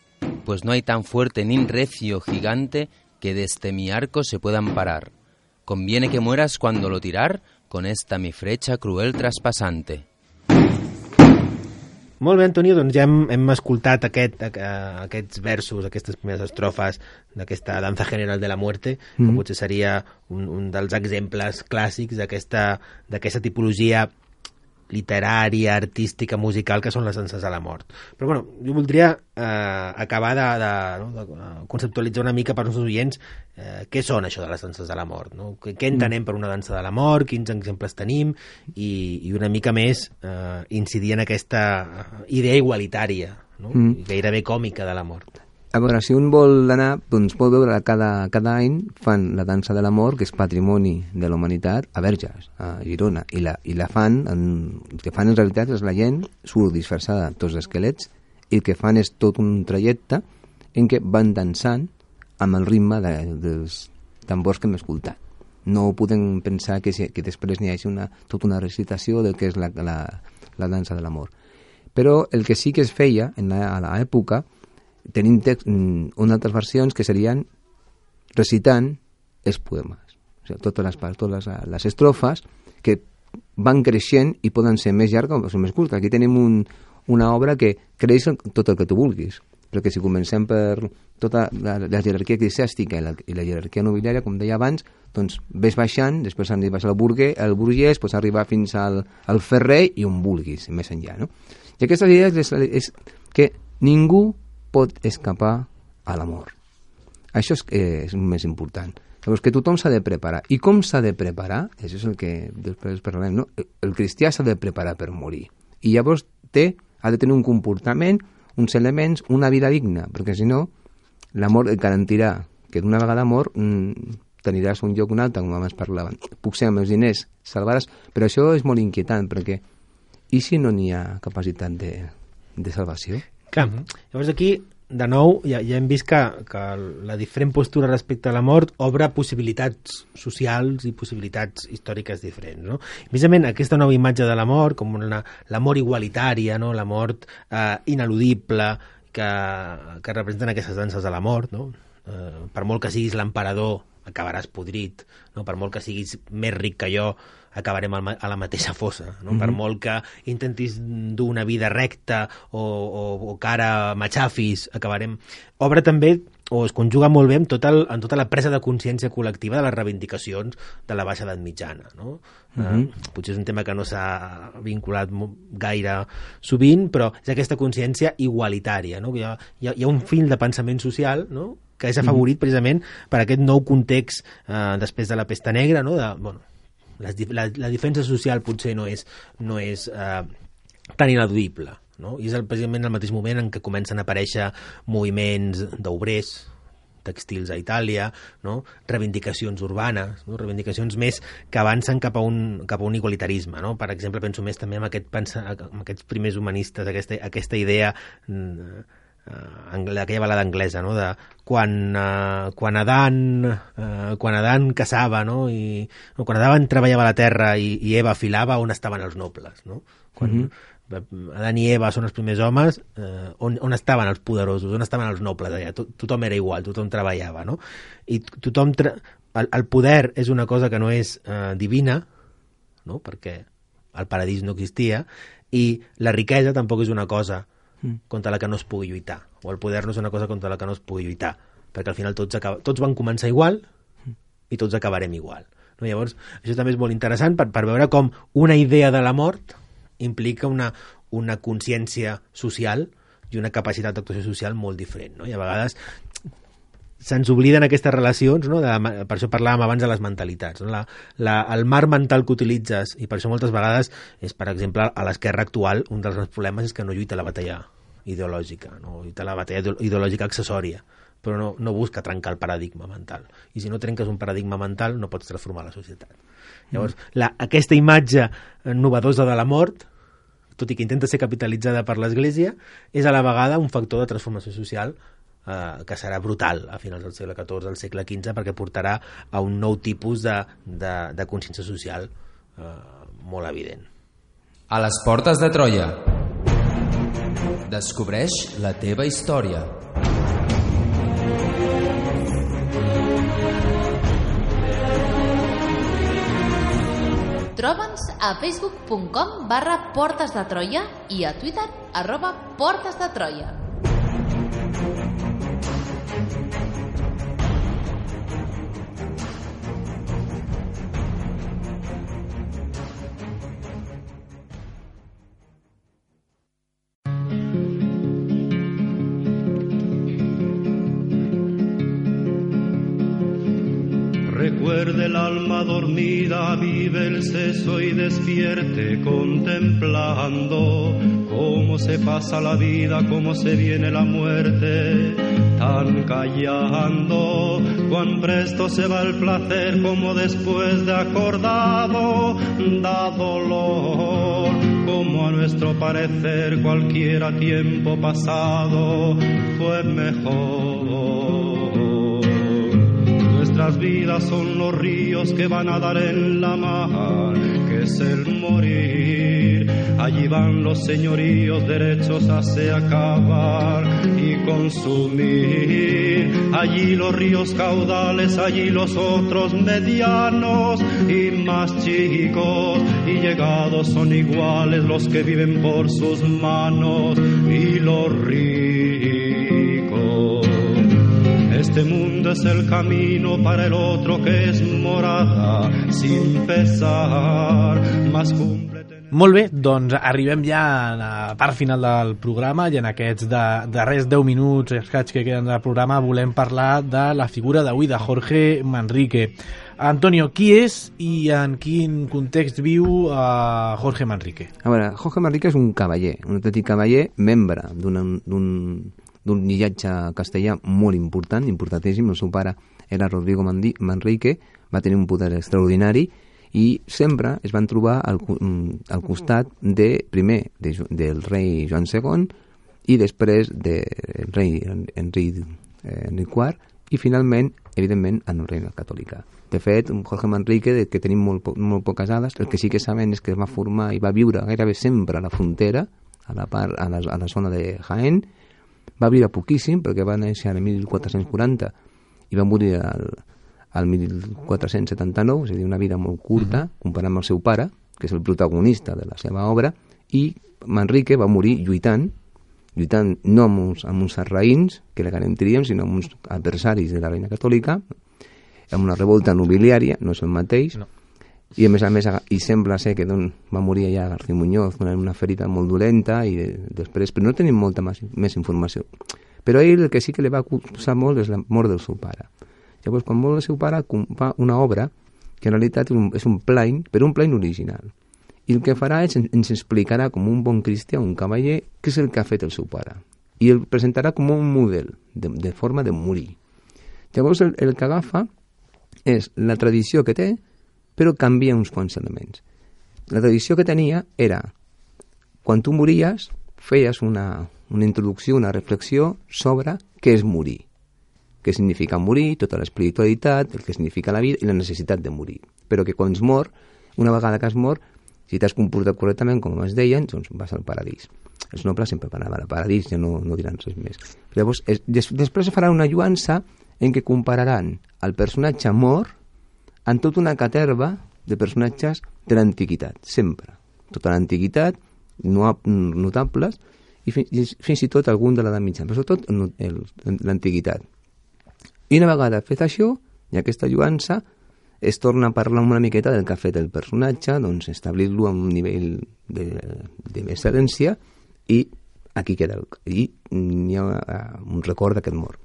S2: Pues no hay tan fuerte ni recio gigante que desde mi arco se pueda amparar. Conviene que mueras cuando lo tirar, con esta mi flecha cruel traspasante.
S4: Molt bé, Antonio, doncs ja hem escoltat aquests versos, aquestes primeres estrofes d'aquesta danza general de la muerte, que potser seria un dels exemples clàssics d'aquesta tipologia literària, artística, musical, que són les danses a la mort. Però bueno, jo voldria acabar de conceptualitzar una mica per als nostres oients què són això de les danses de la mort, no? Què entenem per una dansa de la mort, quins exemples tenim i una mica més incidir en aquesta idea igualitària, no? Gairebé còmica de la mort.
S5: A veure, si un vol anar, doncs pot veure cada any fan la dansa de l'amor, que és patrimoni de la humanitat, a Verges, a Girona, i la fan, el que fan en realitat és la gent surt disfressada tots els esquelets, i el que fan és tot un trajecte en què van dansant amb el ritme dels tambors que hem escoltat. No podem pensar que després n'hi hagi tota una recitació del que és la dansa de l'amor. Però el que sí que es feia a l'època, tenim unes altres versions que serien recitant els poemes, o sigui, totes les estrofes que van creixent i poden ser més llargues o més curtes. Aquí tenim una obra que creix tot el que tu vulguis, perquè si comencem per tota la jerarquia eclesiàstica i la jerarquia nobiliària, com deia abans, doncs ves baixant, després arribes al burguès, pots arribar fins al ferrer i on vulguis, més enllà, no? I aquesta idea és que ningú pot escapar a l'amor. Això és el més important. Llavors, que tothom s'ha de preparar. I com s'ha de preparar? Això és el que després parlarem, no? El cristià s'ha de preparar per morir. I llavors ha de tenir un comportament, uns elements, una vida digna, perquè si no, l'amor et garantirà que d'una vegada mort t'aniràs a un lloc o un altre, com abans parlaven. Puc ser amb els diners, salvaràs, però això és molt inquietant, perquè i si no n'hi ha capacitat de salvació?
S4: Clar, llavors aquí, de nou, ja hem vist que la diferent postura respecte a la mort obre possibilitats socials i possibilitats històriques diferents, no? Precisament aquesta nova imatge de la mort, com la mort igualitària, no? La mort ineludible que representen aquestes danses de la mort, no? Per molt que siguis l'emperador, acabaràs podrit, no? Per molt que siguis més ric que jo, acabarem a la mateixa fossa, no? Per molt que intentis dur una vida recta o que ara m'aixafis, acabarem... Obre també, o es conjuga molt bé en tota la presa de consciència col·lectiva de les reivindicacions de la baixa edat mitjana, no? Potser és un tema que no s'ha vinculat gaire sovint, però és aquesta consciència igualitària, no? Hi ha un fil de pensament social, no?, que és afavorit precisament per aquest nou context després de la pesta negra, no? La defensa social potser no és tan ineludible, no? I és precisament el mateix moment en què comencen a aparèixer moviments d'obrers textils a Itàlia, no? Reivindicacions urbanes, no? Reivindicacions més que avancen cap a un igualitarisme, no? Per exemple, penso més també en aquests primers humanistes, aquesta idea d'aquella balada anglesa, no? De quan Adán caçava, no? Quan Adán treballava la terra i Eva filava, on estaven els nobles, no? Quan Adán i Eva són els primers homes, on estaven els poderosos, on estaven els nobles allà? Tothom era igual, tothom treballava, no? I el poder és una cosa que no és divina, no? Perquè el paradís no existia, i la riquesa tampoc és una cosa contra la que no es pugui lluitar, o el poder no és una cosa contra la que no es pugui lluitar, perquè al final tots van començar igual i tots acabarem igual, no? Llavors, això també és molt interessant per veure com una idea de la mort implica una consciència social i una capacitat d'actuació social molt diferent, no? I a vegades se'ns obliden aquestes relacions, no? Per això parlàvem abans de les mentalitats, no? El marc mental que utilitzes, i per això moltes vegades és, per exemple, a l'esquerra actual un dels grans problemes és que no lluita la batalla ideològica, no lluita la batalla ideològica accessòria, però no busca trencar el paradigma mental, i si no trenques un paradigma mental no pots transformar la societat. Llavors, aquesta imatge novedosa de la mort, tot i que intenta ser capitalitzada per l'Església, és a la vegada un factor de transformació social que serà brutal a finals del segle XIV, al segle XV, perquè portarà a un nou tipus de consciència social molt evident.
S2: A les portes de Troia. Descobreix la teva història.
S1: Troba'ns a facebook.com/Portes de Troia i a Twitter @Portes de Troia.
S8: Recuerde el alma dormida, vive el seso y despierte contemplando cómo se pasa la vida, cómo se viene la muerte, tan callando, cuán presto se va el placer, como después de acordado da dolor, como a nuestro parecer cualquiera tiempo pasado fue mejor. Nuestras vidas son los ríos que van a dar en la mar, que es el morir. Allí van los señoríos derechos a se acabar y consumir. Allí los ríos caudales, allí los otros medianos y más chicos. Y llegados son iguales los que viven por sus manos y los ricos. Este mundo es el camino para el otro que es morada sin pesar, más cumple.
S3: Molt bé, doncs arribem ja a la part final del programa i en aquests darrers 10 minuts escaig que queden del programa volem parlar de la figura d'avui de Jorge Manrique. Antonio, qui és i en quin context viu Jorge Manrique?
S5: A veure, Jorge Manrique és un cavaller, un autèntic cavaller, membre d'un llinatge castellà molt important, importantíssim. El seu pare era Rodrigo Manrique, va tenir un poder extraordinari i sempre es van trobar al costat primer del rei Joan II i després del rei Enric IV i finalment, evidentment, en la reina catòlica. De fet, Jorge Manrique, que tenim molt poques dades, el que sí que sabem és que es va formar i va viure gairebé sempre a la frontera, a la zona de Jaén. Va viure poquíssim perquè va néixer el 1440 i va morir al 1479, és a dir, una vida molt curta, comparant amb el seu pare, que és el protagonista de la seva obra, i Manrique va morir lluitant no amb uns sarraïns, que la garantiríem, sinó amb uns adversaris de la reina catòlica, amb una revolta nobiliària, no és el mateix, no. I a més, i sembla ser que va morir allà García Muñoz amb una ferida molt dolenta i després, però no tenim molta més informació. Però a ell el que sí que li va acusar molt és la mort del seu pare. Llavors, quan mor el seu pare, fa una obra que en realitat és un plain, però un plain original. I el que farà és ens explicarà com un bon cristià, un cavaller, què és el que ha fet el seu pare. I el presentarà com un model de forma de morir. Llavors, el que agafa és la tradició que té, però canvia uns quants elements. La tradició que tenia era, quan tu mories, feies una introducció, una reflexió sobre què és morir. Què significa morir, tota l'espiritualitat, el que significa la vida i la necessitat de morir. Però que quan es mor, una vegada que has mort, si t'has comportat correctament, com es deien, doncs vas al paradís. Els nobles sempre van al paradís, ja no diran res més. Llavors, després farà una lluança en què compararan el personatge mort en tota una caterva de personatges de l'antiguitat, sempre. Tota l'antiguitat, notables, i fins i tot algun de l'edat mitjana, però sobretot l'antiguitat. I una vegada fet això, i aquesta lluança, es torna a parlar una miqueta del que ha fet el personatge, doncs establir-lo a un nivell d'excel·lència, i aquí queda, i hi ha un record d'aquest mort.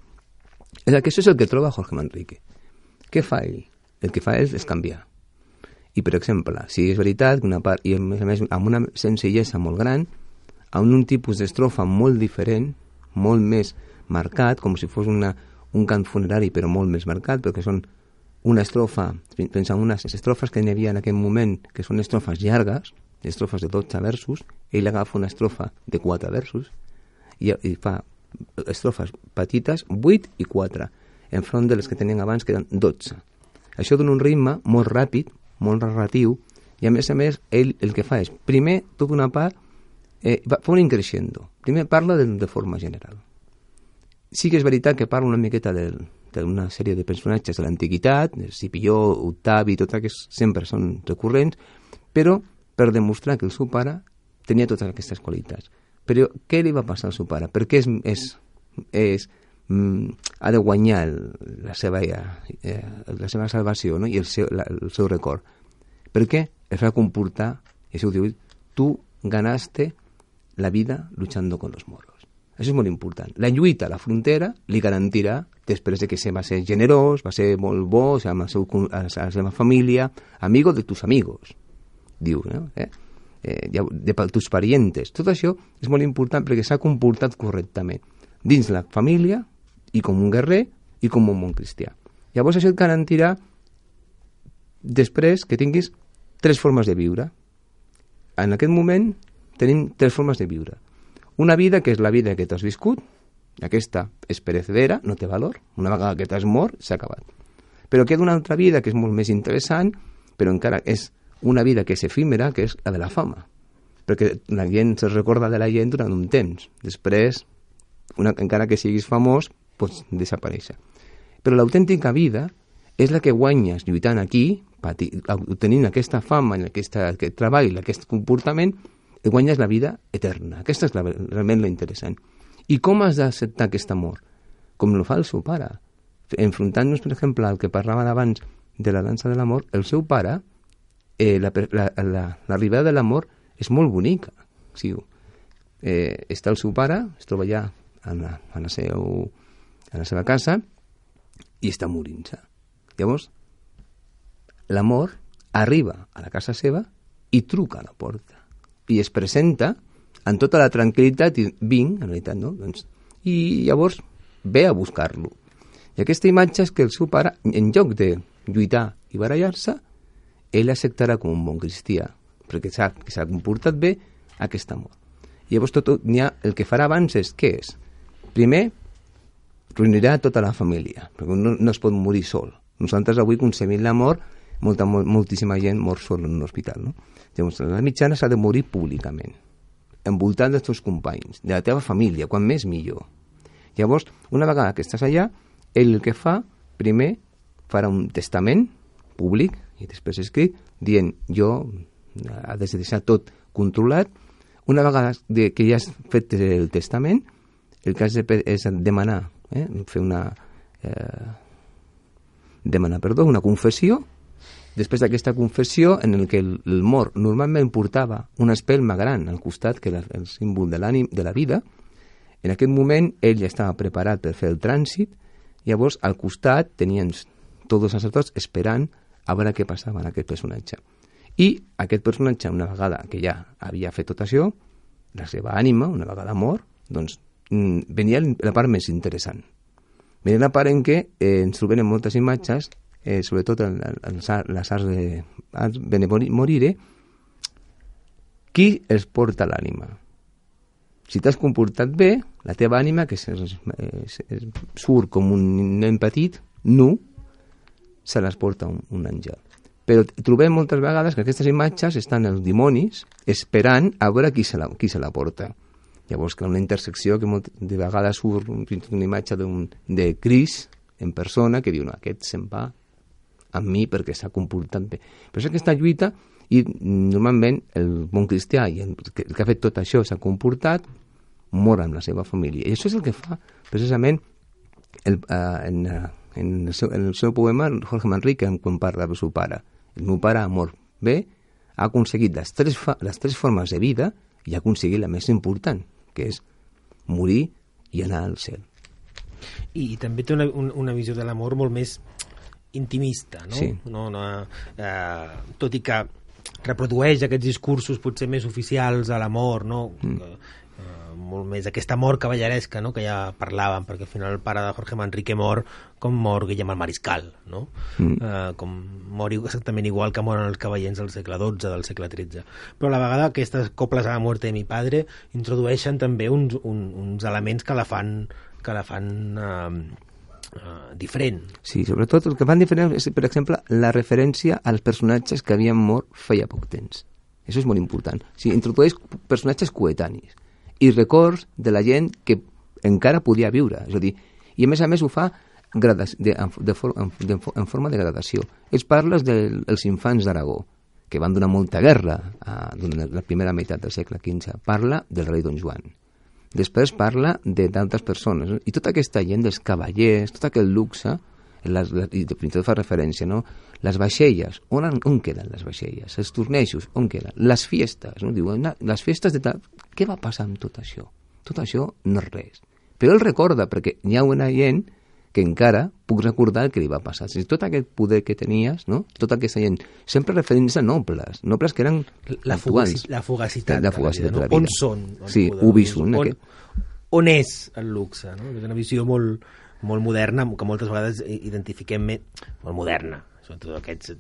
S5: Això és el que troba Jorge Manrique. Què fa ell? El que fa ell és canviar. I, per exemple, si és veritat que una part, i a més amb una senzillesa molt gran, amb un tipus d'estrofa molt diferent, molt més marcat, com si fos un cant funerari, però molt més marcat, perquè són una estrofa, pensant en unes estrofes que n'hi havia en aquell moment, que són estrofes llargues, estrofes de 12 versos, ell agafa una estrofa de 4 versos, i fa estrofes petites, 8 i 4, enfront de les que tenien abans, que eren 12. Això dona un ritme molt ràpid, molt narratiu, i a més, ell el que fa és, primer, tota una part, fa un increixendo. Primer parla de forma general. Sí que és veritat que parla una miqueta d'una sèrie de personatges de l'antiguitat, Escipió, Octavi, tot aquests sempre són recurrents, però per demostrar que el seu pare tenia totes aquestes qualitats. Però què li va passar al seu pare? Per què ha de guanyar la seva salvació, no? I el seu record? Per què? Es va comportar, i això ho diu, tu ganaste la vida luchando con los moros. Això és molt important. La lluita a la frontera li garantirà, després de que va ser generós, va ser molt bo, amb la seva família, amigo de tus amigos, diu, no? de tus parientes. Tot això és molt important perquè s'ha comportat correctament dins la família i com un guerrer i com un bon cristià. Llavors això et garantirà després que tinguis 3 formes de viure. En aquest moment tenim 3 formes de viure. Una vida que és la vida que t'has viscut, aquesta és perecedera, no té valor, una vegada que t'has mort s'ha acabat. Però queda una altra vida que és molt més interessant, però encara és una vida que és efímera, que és la de la fama. Perquè la gent se recorda de la gent durant un temps. Després, encara que siguis famós, pots desaparèixer. Però l'autèntica vida és la que guanyes lluitant aquí, obtenint aquesta fama, aquest treball, aquest comportament, i guanyes la vida eterna. Aquesta és realment l'interessant. I com has d'acceptar aquest amor? Com lo fa el seu pare. Enfrontant-nos, per exemple, al que parlava abans de la dansa de l'amor, el seu pare, l'arribada de l'amor és molt bonica. Sí, està el seu pare, es troba allà a la seva casa i està morint-se. Llavors, l'amor arriba a la casa seva i truca a la porta i es presenta amb tota la tranquil·litat i vinc, en realitat, no? I llavors ve a buscar-lo. I aquesta imatge és que el seu pare, en lloc de lluitar i barallar-se, ell acceptarà com un bon cristià, perquè sap que s'ha comportat bé aquest amor. I llavors el que farà abans és, què és? Primer, reunirà tota la família, perquè no es pot morir sol. Nosaltres avui concebim l'amor, moltíssima gent mor sol en un hospital, no? Llavors, la mitjana s'ha de morir públicament, envoltant dels teus companys, de la teva família, quan més millor. Llavors, una vegada que estàs allà, ell el que fa, primer, farà un testament públic i després escrit, dient, jo ha de deixar tot controlat. Una vegada que ja has fet el testament, el que has de fer és demanar, fer una confessió. Després d'aquesta confessió, en el que el mort normalment portava una espelma gran al costat, que era el símbol de la vida, en aquest moment ell ja estava preparat per fer el trànsit, llavors al costat tenien tots els sacerdots esperant a veure què passava en aquest personatge. I aquest personatge, una vegada que ja havia fet tot això, la seva ànima, una vegada mort, doncs venia la part més interessant. Venia la part en què ens trobem en moltes imatges, sobretot en les arts de Benemorire, qui els porta l'ànima. Si t'has comportat bé, la teva ànima, que surt com un nen petit, nu, se les porta un àngel. Però trobem moltes vegades que aquestes imatges estan els dimonis esperant a veure qui se la porta. Llavors, que una intersecció que de vegades surt una imatge de Crist en persona que diu, no, aquest se'n va amb mi perquè s'ha comportat bé. Però és aquesta lluita, i normalment el bon cristià i el que ha fet tot això s'ha comportat, mor amb la seva família. I això és el que fa precisament en el seu poema Jorge Manrique, quan parla del seu pare. El meu pare ha mort bé, ha aconseguit les tres formes de vida i ha aconseguit la més important, que és morir i anar al cel.
S4: I també té una visió de l'amor molt més intimista, no?
S5: Sí.
S4: Tot i que reprodueix aquests discursos potser més oficials a l'amor, no? Molt més aquesta amor cavalleresca, no? Que ja parlàvem, perquè al final el pare de Jorge Manrique mor com mor Guillem el Mariscal, no? Com mor exactament igual que moren els cavallers del segle XII, del segle XIII. Però a la vegada aquestes coples a la muerte de mi padre introdueixen també uns elements que la fan diferent.
S5: Sí, sobretot el que fan diferent és, per exemple, la referència als personatges que havien mort feia poc temps. Això és molt important. O sigui, introdueix personatges coetanis i records de la gent que encara podia viure. És a dir, i a més ho fa en forma de gradació. Ells parles dels infants d'Aragó, que van donar molta guerra durant la primera meitat del segle XV. Parla del rei Don Joan. Després parla d'altres persones, no? I tota aquesta gent dels cavallers, tot aquest luxe, i fins i tot fa referència, no? Les vaixelles, on queden les vaixelles? Els tornejos, on queden? Les fiestes, no? Diuen, les festes de tal... Què va passar amb tot això? Tot això no és res. Però ell recorda, perquè hi ha una gent que encara puc recordar el que li va passar. Si tot aquest poder que tenies, no? Tota aquesta gent, sempre referint-se a nobles que eren actuals.
S4: La fugacitat
S5: de la vida.
S4: On són?
S5: Sí, ubisum.
S4: On és el luxe? No? És una visió molt moderna, que moltes vegades identifiquem molt moderna, sobretot aquests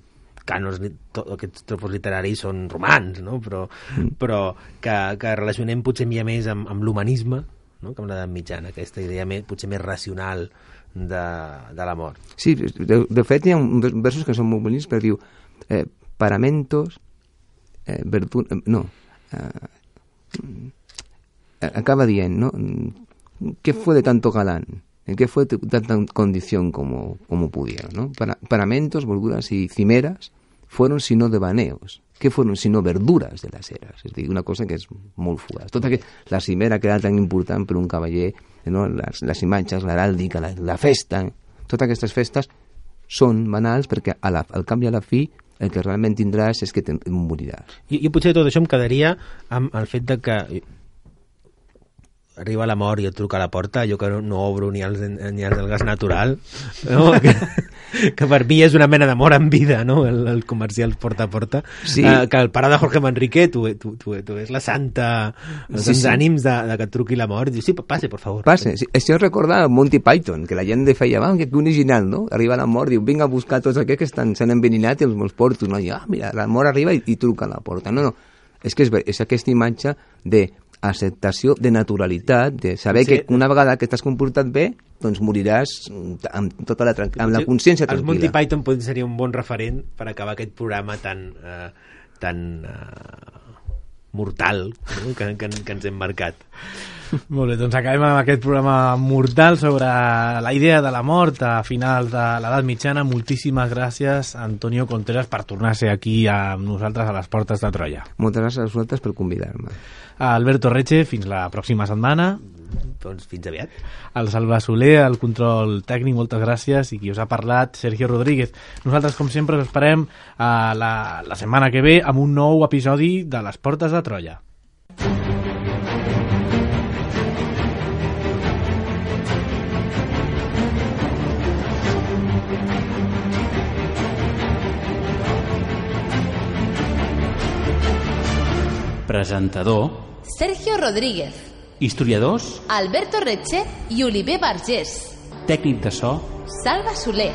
S4: cànons, aquests tropos literaris són romans, no? però que relacionem potser més amb l'humanisme, no? Que amb l'edat mitjana, aquesta idea potser més racional de la mort.
S5: Sí, de fet hi ha versos que són molt bonics, perquè diu paramentos acaba dient, ¿no? ¿Qué fue de tanto galán? ¿En qué fue de tanta condición como pudieron, ¿no? Paramentos, verduras y cimeras fueron sino devaneos. ¿Qué fueron sino verduras de las eras? És a dir, una cosa que és molt fugaz. Tota la cimera que era tan important per un cavaller, no? Les imatges, l'heràldica, la festa, totes aquestes festes són banals perquè al cap i a la fi el que realment tindràs és que moriràs.
S4: Jo potser tot això em quedaria amb el fet de que arriba la mort i et truca a la porta, jo que no obro ni els del gas natural, no? que per mi és una mena de mort en vida, no? El comercial porta a porta, sí. Que el pare de Jorge Manrique tu és la santa, els ànims de que et truqui la mort, i dius, sí, passe, por favor.
S5: Passe, sí. Això recorda Monty Python, que la gent feia, que original, no? Arriba la mort, diu, vinga a buscar tots aquests que s'han enveninat i els meus portos, no? I, mira, la mort arriba i truca a la porta. No, és que és aquesta imatge de acceptació, de naturalitat, de saber que una vegada que t'has comportat bé, doncs moriràs amb tota la consciència tranquil·la.
S4: Els Monty Python seria un bon referent per acabar aquest programa tan mortal, no? que ens hem marcat.
S3: Molt bé, doncs acabem amb aquest programa mortal sobre la idea de la mort a finals de l'edat mitjana. Moltíssimes gràcies, Antonio Contreras, per tornar a ser aquí amb nosaltres a les portes de Troia.
S5: Moltes gràcies a vosaltres per convidar-me.
S3: Alberto Reche, fins la pròxima setmana.
S4: Doncs fins aviat.
S3: El Salva Soler, el control tècnic, moltes gràcies, i qui us ha parlat, Sergio Rodríguez. Nosaltres, com sempre, us esperem la setmana que ve amb un nou episodi de les portes de Troia.
S9: Presentador
S1: Sergio Rodríguez.
S9: Historiadors
S1: Alberto Reche i Oliver Vergés.
S9: Tècnic de so
S1: Salva Soler.